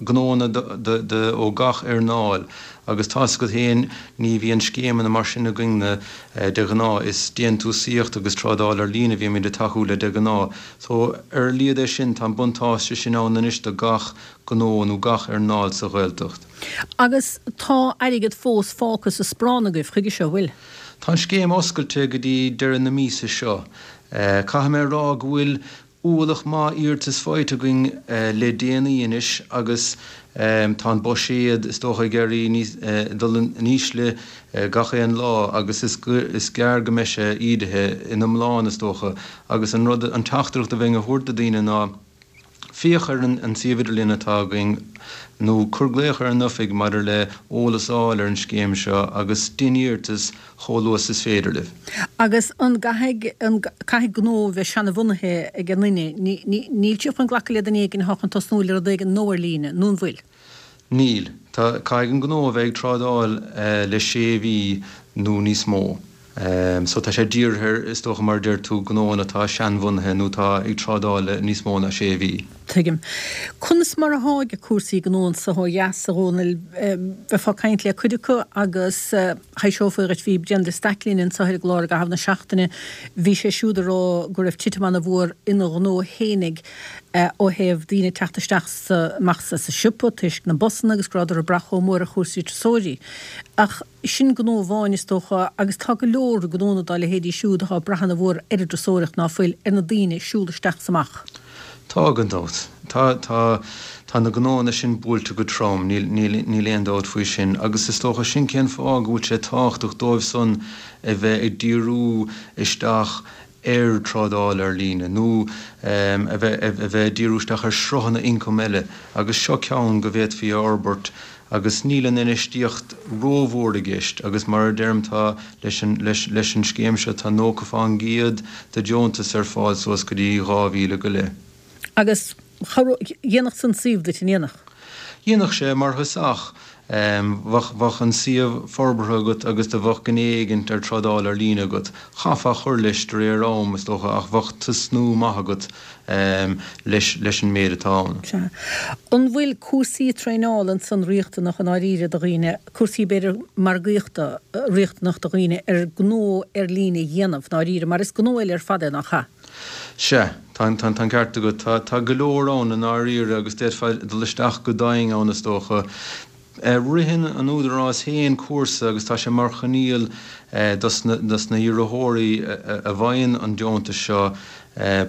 gnónna ó gach earnáil agus tá's agat féin ní bhíonn scéimeanna mar sin againne de ghnáth, is déantúsaíocht agus trádáil ar líne a bhímid ag tacú le de ghnáth. So ar a laghad é sin, tá an buntáiste sin ann anois do gach gnó nó gach earnáil sa Ghaeltacht. Agus tá airgead fós fágtha sa sparán agaibh chuige seo, bhfuil? Tá an scéim oscailte go dtí deireadh na míosa seo. Caithfidh mé a rá go bhfuil ualach maith iarratas faighte againn le déanaí anois agus tá an buiséad is dócha ag éirí níos, dul in ísle gach aon lá agus is is gearr go mbeidh sé ídithe ina iomlán is dócha agus an rud, an teachtaireacht a bheinn a thabhairt do daoine ná féach ar an suíomh idirlíon atá againn nó cuir glaoch ar an oifig maidir le eolas a fháil ar an scéim seo agus dein iarratas chomh luath is is féidir libh. Agus an gcaithfidh, an caithfidh gnó a bheith seanabhunaithe ag an nduine? Ní, ní, níl sibh chun glacadh le duine éigin atá chun tosnú le rud éigin nua ar líne, nó an bhfuil? Níl. Tá, caithfidh an gnó a bheith ag trádáil le sé mhí nó níos mó. So tá sé dírithe ar, is dócha mar a deir tú, gnóanna atá seanbhunaithe nó atá ag trádáil le níos mó ná sé mhí. Tuigim. Conas mar athá ag cúrsaí gnó anso ó dheas, a Dhónaill? Bheifeá ag caint le cuid acu agus thaibhseofaí dhuit, bhí Brendan de Staic linn anso ar an gclár i gcaitheamh na seachtaine, bhí sé siúd ag rá go raibh titim ana-mhór ina ghnó fhéinig ó thaobh daoine ag teacht isteach 's amach as an siopa toisc na busanna agus go rabhadar ag brath chomh mór ar chúrsaí turasóirí. Ach sin gnó amháin, is dócha, agus tá go leor gnónna dá leithéidí siúd atá ag brath ana-mhór ar an dturasóireacht ná fuil, ar na daoine ag siúl isteach 's amach. Tá, gan dabht. Tá, tá, tá na gnóanna sin buailte go trom, níl, níl, níl aon dabht faoi sin. Agus is dócha sin cén fáth go bhfuil sé tábhachtach dóibh san a bheith ag díriú isteach ar trádáil ar líne nó a bheith a bheith ag díriú isteach ar shruthanna ioncaim eile agus seo ceann go bhféadfaí a fhorbairt agus níl an infheistíocht rómhór i gceist agus mar a deirim tá leis an leis leis an scéim seo tá nócha fán gcéad de deontas ar fáil suas go dtí dhá mhíle go leith. Agus dhéanfadh san suíomh duit, an ndéanfadh? Dhéanfadh sé mar thosach. Bheadh bheadh an suíomh forbartha agat agus do bheadh gné éigint ar trádáil ar líne agat. Chaithfeá cur leis de réir am, is dócha, ach bheadh tosnú maith agat leis leis an méid atá ann. Sea. An bhfuil cúrsaí traenála ansan riachtanach i ndáiríre do dhaoine, cúrsaí b'fhéidir margaíochta riachtanach do dhaoine ar gnó ar líne a dhéanamh i ndáiríre, mar is gnó eile ar fad é, nach ea? Sea, tá an tá an ceart agat. Tá tá go leor ann i ndáiríre agus d'fhéadfá dul isteach go domhain ann is dócha. Ritheann an Údarás féin cúrsa agus tá sé mar choinníoll dos na hiarrthóirí a bhfaigheann an deontas seo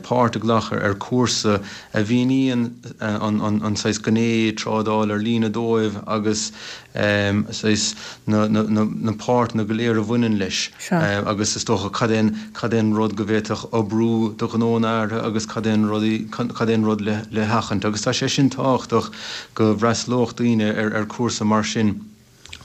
páirt a ghlacadh ar chúrsa a mhíníonn an saghas gné trádáil ar líne dóibh agus saghas na páirteanna go léir a bhaineann leis agus is dócha cad é cad é an rud go bhféadfadh oibriú do ghnó in áirithe agus cad é an rudaí cad é an rud le le sheachaint agus tá sé sin tábhachtach go bhfreastalódh daoine ar ar cúrsa mar sin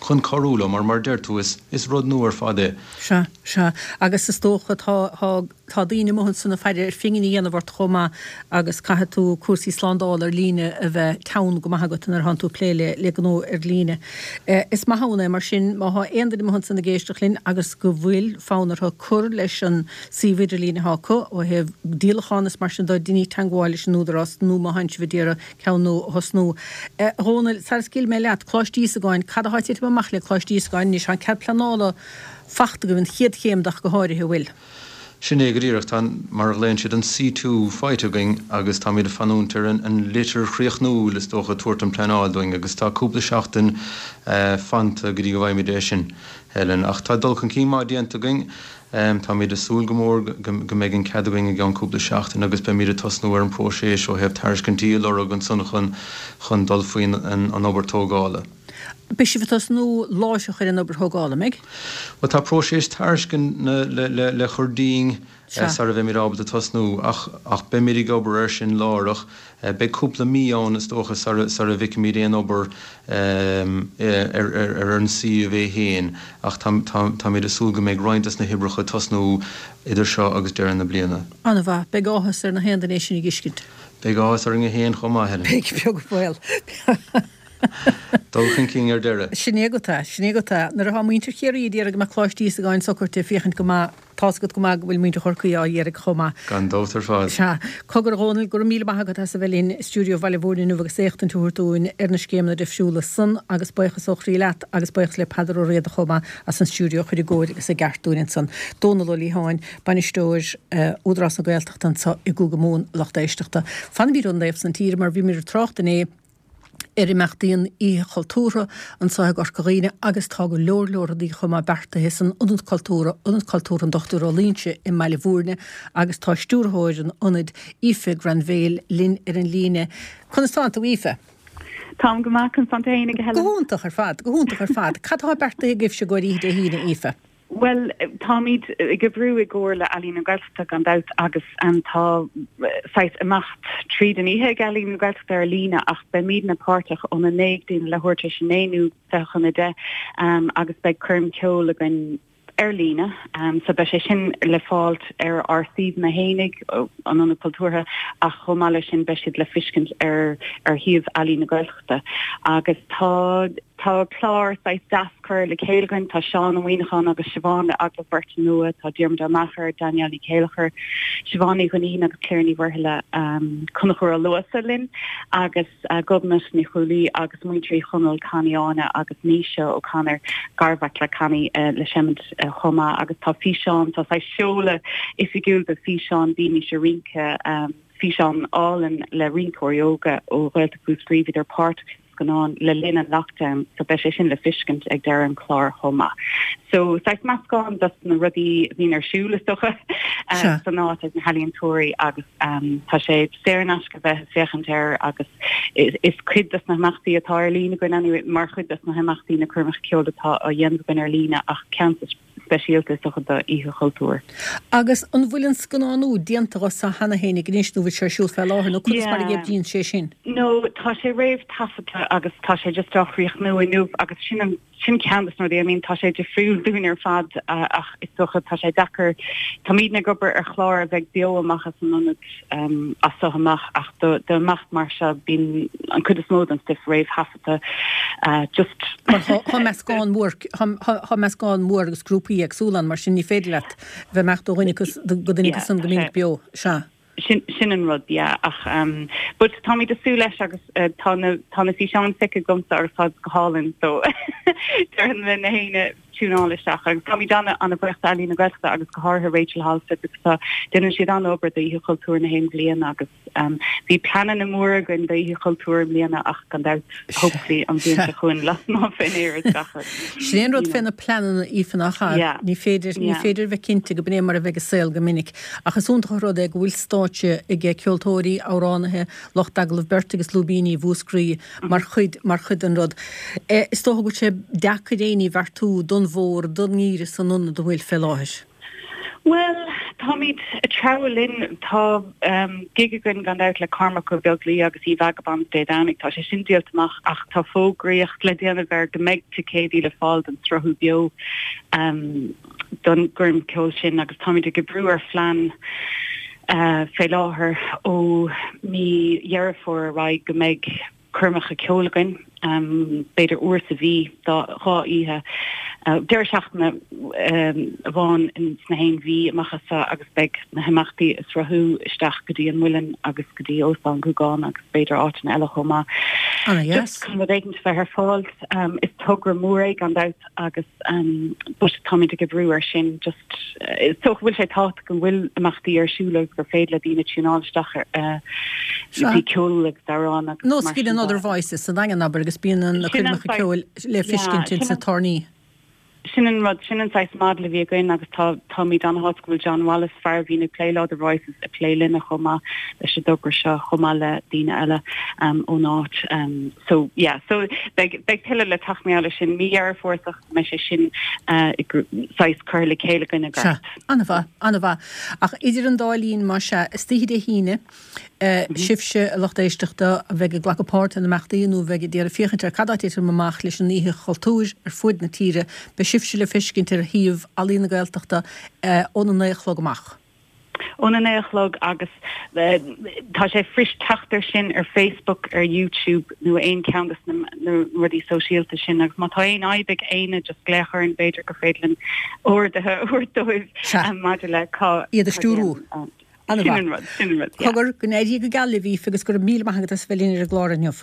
chun cabhrú leo mar mar a deir tú is is rud nua ar fad é. Sea, sea. Agus is dócha tá tá tá daoine amuigh ansan ag faire ar phingin a dhéanamh ort chomh maith agus caithfidh tú cúrsaí slándála ar líne a bheith teann go maith agat nuair atánn tú ag plé le le gnó ar líne. Is maith ann é mar sin má thá aon duine amuigh ansan ag éisteacht linn agus go bhfuil fonn orthu cur leis an suíomh idirlín athá acu ó thaobh díolachán is mar sin de deinigí teagmháil leis an Údarás nó má thánn sibh ag iarraidh ceann nua a thosnú. A Dhónaill, sara scaoilfidh mé leat, Coláiste Íosagáin, cad athá ag titim amach le Coláiste Íosagáin anois? Tá an cead pleanála fachta agaibh, an chéad chéim de ach go háirithe, an bhfuil? Sin é go díreach. Tá, mar a ghlaonn siad, an C two faighte againn agus táimid ag fanúint ar an litir chríochnúil, is dócha, tabhairt an pleanáil dúinn agus tá cúpla seachtain fanta go dtí go bhfaighimid é sin, Helen. Ach tá dul chun cinn maith déanta againn. Táimid ag súil go mór go mbeidh an cead againn i gceann cúpla seachtain agus beimid ag tosnú ar an bpróiseas ó thaobh tairiscintí a lorg ansan chun chun dul faoin an obair tógála. Beidh sibh ag tosnú láithreach ar an obair thógála, an mbeidh? Bhuel, tá próiseas tairisceana le le le cur dínn sara bheimid ábalta tosnú ach ach beimid ag obair air sin láithreach. Beidh cúpla mí ann, is dócha, sara bhfeicfimid aon obair ar an suíomh é féin, ach táimid ag súil go mbeidh roinnt des na hoibreacha ag tosnú idir seo agus deireadh na bliana. An-mhaith. Beidh áthas ar na haon duine é sin a dh'fheiscint. Beidh áthas orainne féin chomh maith, Helen. Beidh, beag baol. Dul chun cinn ar deireadh. Sin é agat é, sin é agat é. Nuair atá muintir Chiarraí ag iarraidh go mbeadh Coláiste Íosagáin socraithe féachaint go maith, tá's agat go maith go bhfuil muintir Chorcaí á iarraidh chomh maith. Gan dabht ar fad. Sea. Cogar a Dhónaill, go raibh míle maith agat as a bheith linn i stiúideo Bhaile Mhúirne inniu agus éachtaint a thabhairt dúinn ar na scéimeanna difriúla san agus buíochas ó chroí leat agus buíochas le Peadar Ó Riada chomh maith as an stiúideo a chur i gcóir agus i gceart dúinn ansan. Dónal Ó Liatháin, Bainisteoir Údarás na Gaeltachta anso i gCúige Mumhan, lucht éisteachta. Fanfaimid ón dtaobh san tíre mar bhíomar ag trácht inné ar imeachtaí an Oíche Chultúrtha anseo i gCorca Dhuibhne agus tá go leor leor rudaí chomh maith beartaithe san Ionad Cultúrtha, Ionad Cultúrtha an Dochtúir Ó Loingsigh i mBaile Bhúirne agus tá stiúrthóir an ionaid, Aoife Granville, linn ar an líne. Conas tánn tú, Aoife? Táim go maith, conas tánn tú fhéinig, a Helen? Go hiontach ar fad, go hiontach ar fad. Cad tá beartaithe agaibhse i gcomhair oíche Dé hAoine, Aoife? Bhuel, táimid ag oibriú i gcomhar le Ealaín na Gaeltachta gan dabht agus tá saghas imeacht tríd an oíche ag Ealaín na Gaeltachta ar líne ach beimidne páirteach óna naoi go dtí leathuair tar éis a naoi nó fiche chun a deich agus beidh coirm ceoil againn ar líne. So beidh sé sin le fáilt ar ár suíomhanna fhéinig, an Ionad Cultúrtha, ach chomh maith leis sin beidh siad le feiscint ar ar shuíomh Ealaín na Gaeltachta. Agus tá Tá clár saghas deas curtha le chéile againn, tá Seán Ó Muíneacháin agus Siobhán le agallamh beirte nua, tá Diarmuid Ó Meachair, Danielle Ní Chéilleachair, Siobhán Ní Dhuinnín agus Cliona Ní Mhuirthile, Conchúr Ó Luasa linn agus Gobnait Ní Chrualaoi agus muintir Uí Chonaill, Connie Áine agus Naoise O'Connor, garmhac le Connie le seimint chomh maith agus tá físeán, tá saghas seoladh oifigiúil de físeán Bímis ag Rince, físeán álainn le rinceoirí óga ó Ghaeltacht Mhúscraí, bhíodar páirteach sa scannán le linn an lockdown so beidh sé sin le feiscint ag deireadh an chláir chomh maith. So saghas meascán dos na rudaí a bhíonn ar siúl is dócha san áit ag na healaíontóirí agus tá sé saor in aisce bheith ag féachaint air agus is cuid dos na himeachtaí atá ar líne againn anyway mar chuid dos na himeachtaí na coirmeacha ceoil atá á dhéanamh againn ar líne ach ceann speisialta is dócha do Oíche Chultúir. Agus an bhfuil an scannánú déanta dhó so cheana fhéinig anois nó bhfuil sé ar siúl fé láthair nó conas mar a oibríonn sé sin? No, tá sé réamh-taifeadta agus tá sé just á chríochnú inniu agus sin an sin ceann de na rudaí, I mean tá sé difriúil dúinn ar fad ach is dócha tá sé deacair, táimidne ag obair ar chlár a bheidh beo amach as an ionad um, as so amach ach do do imeacht mar seo bíonn an cuid is mó den stuif réamhthaifeadta uh, just Mar tá meascán mór tá meascán mór agus grúpaí éagsúla ann mar sin ní féidir leat bheith imeacht ó dhuine go duine go san go minic beo sea. Sin sin an rud yeah ach um, but táimid ag súil leis agus uh, tá na tá na físeáin feicthe agamsa agus tá go hálainn so déarfainn le na héinne tiúnáil isteach agus táimid ana ana bhuíoch d'Ealaín na Gaeltachta agus go háirithe Rachel Halstead because tá déanann siad an-obair d'Oíche Chultúir na haon bhliain agus um, bhí pleananna móra againn d'Oíche Chultúir i mbliana ach gan dabht hopefully an bhliain seo chugainn lasmuigh fén aer is gach rud. Sin an rud fé na pleananna Aoife nach ea? Yeah. Ní féidir ní Yeah. féidir bheith cinnte go b'in é mar a bheidh an saol go minic. Ach is iontach an rud é go bhfuil stáitse ag ceoltóirí, amhránaithe, lucht agallamh beirte agus lúibíní Mhúscraí mar chuid mar chuid den rud. Eh, Is dócha go bhfuil sé deacair éinní a bheartú don bhfómhar don ngeimhreadh san ionad a bhfuil fé láthair. Well, táimid ag treabhadh linn tá um, gig againn gan dabht le Cormac Ó Beaglaoich agus í Vagabonds Dé Domhnaigh tá sé sin díolta amach ach tá fógraíocht le déanamh air go mbeidh ticéidí le fáil don sruthú beo um, don gcoirm ceoil sin agus táimid ag oibriú ar phlean uh, fé láthair ó mí Dheireadh Fómhair ar aghaidh go mbeidh coirmeacha ceoil againn um, b'fhéidir uair sa mhí dá dhá oíche uh, deireadh seachtaine um, amháin sna haon mhí amach as agus beidh na himeachtaí ag sruthú isteach go dtí an Muileann agus go dtí Óstán Ghúgáin agus b'fhéidir áiteanna eile chomh maith. Ana Just chun rud éigin bheith ar fáil um, is togra mór é gan dabht agus um, but táimid ag oibriú ar sin just uh, is dócha bhfuil sé tábhachtach go bhfuil imeachtaí ar siúl agus gur féidir le daoine tiúnáil isteach ar uh, Sea. bhí ceol agus amhráin agus Nós mar bhí sin an de. Other Voices sa Daingean abair agus bíonn an Sin an coirmeacha saghas- ceoil le feiscint Yeah, in sa sin an- tairní. Sin an rud sin an saghas model a bhí againn agus tá táimid an-shásta go bhfuil John Wallace fear a bhíonn ag plé le Other Voices ag plé linne chomh maith leis an dtogra seo chomh maith le daoine eile um, ón áit. Um, so yeah, so beidh beidh tuilleadh le teacht eile sin mí Dheireadh Fómhair mbeidh sé sin uh, saghas cur le chéile againn Sea, gart. an-mhaith, an-mhaith. Ach idir an dá linn mar sea, istoíche Dé hAoine, eh, sibhse a lucht éisteachta a bheidh ag glacadh páirt in imeachtaí nó bheidh ag iarraidh féachaint ar cad atá ag titim amach leis an Oíche Chultúir ar fud na tíre, beidh sibhse le feiscint ar shuíomh Ealaín na Gaeltachta eh, óna naoi a chlog amach. Óna naoi a chlog agus uh, tá sé fuirist teacht air sin ar Facebook ar YouTube nó aon cheann de na, na rudaí sóisialta sin agus má tá aon fhadhb ag éinne just glaoch orainn b'fhéidir gur féidir linn orduithe a thabhairt dóibh Sea. um, maidir le cá Iad a stiúrú. Sin an rud, sin an rud, yeah. Cogar go n-éirí go geal libh Aoife agus go raibh míle maith agat as bheith linn ar an gclár inniu.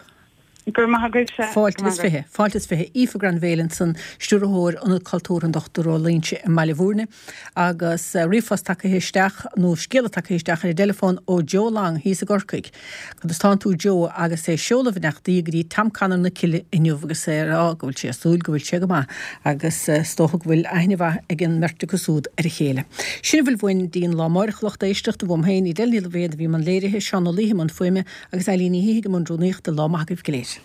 Gur maith agaibhse. Fáilte is fiche, fáilte is fiche Aoife Granville ansan stiúrthóir Ionad Cultúrtha an Dochtúir Ó Loingsigh i mBaile Bhúirne agus uh, ríomhphost tagtha isteach nó scéala tagtha isteach ar an dteileafón ó Joe Long thíos i gCorcaigh. Conas tánn tú Joe agus é ag seoladh beannachtaí go dtí Tom Connor na Cille inniu agus é á go bhfuil sé súil go bhfuil sé go maith agus uh, is dócha go bhfuil aithne mhaith ag an mbeirt acu súd ar a chéile. Sin a bhfuil uainn don lá amárach lucht éisteachta uaim féin Edel Ní Loibhéad a bhí i mbun léirithe Seán Ó Laoithe i mbun fuaime agus Eileen Ní hIgh i mbun rúnaíochta lá maith agaibh go léir.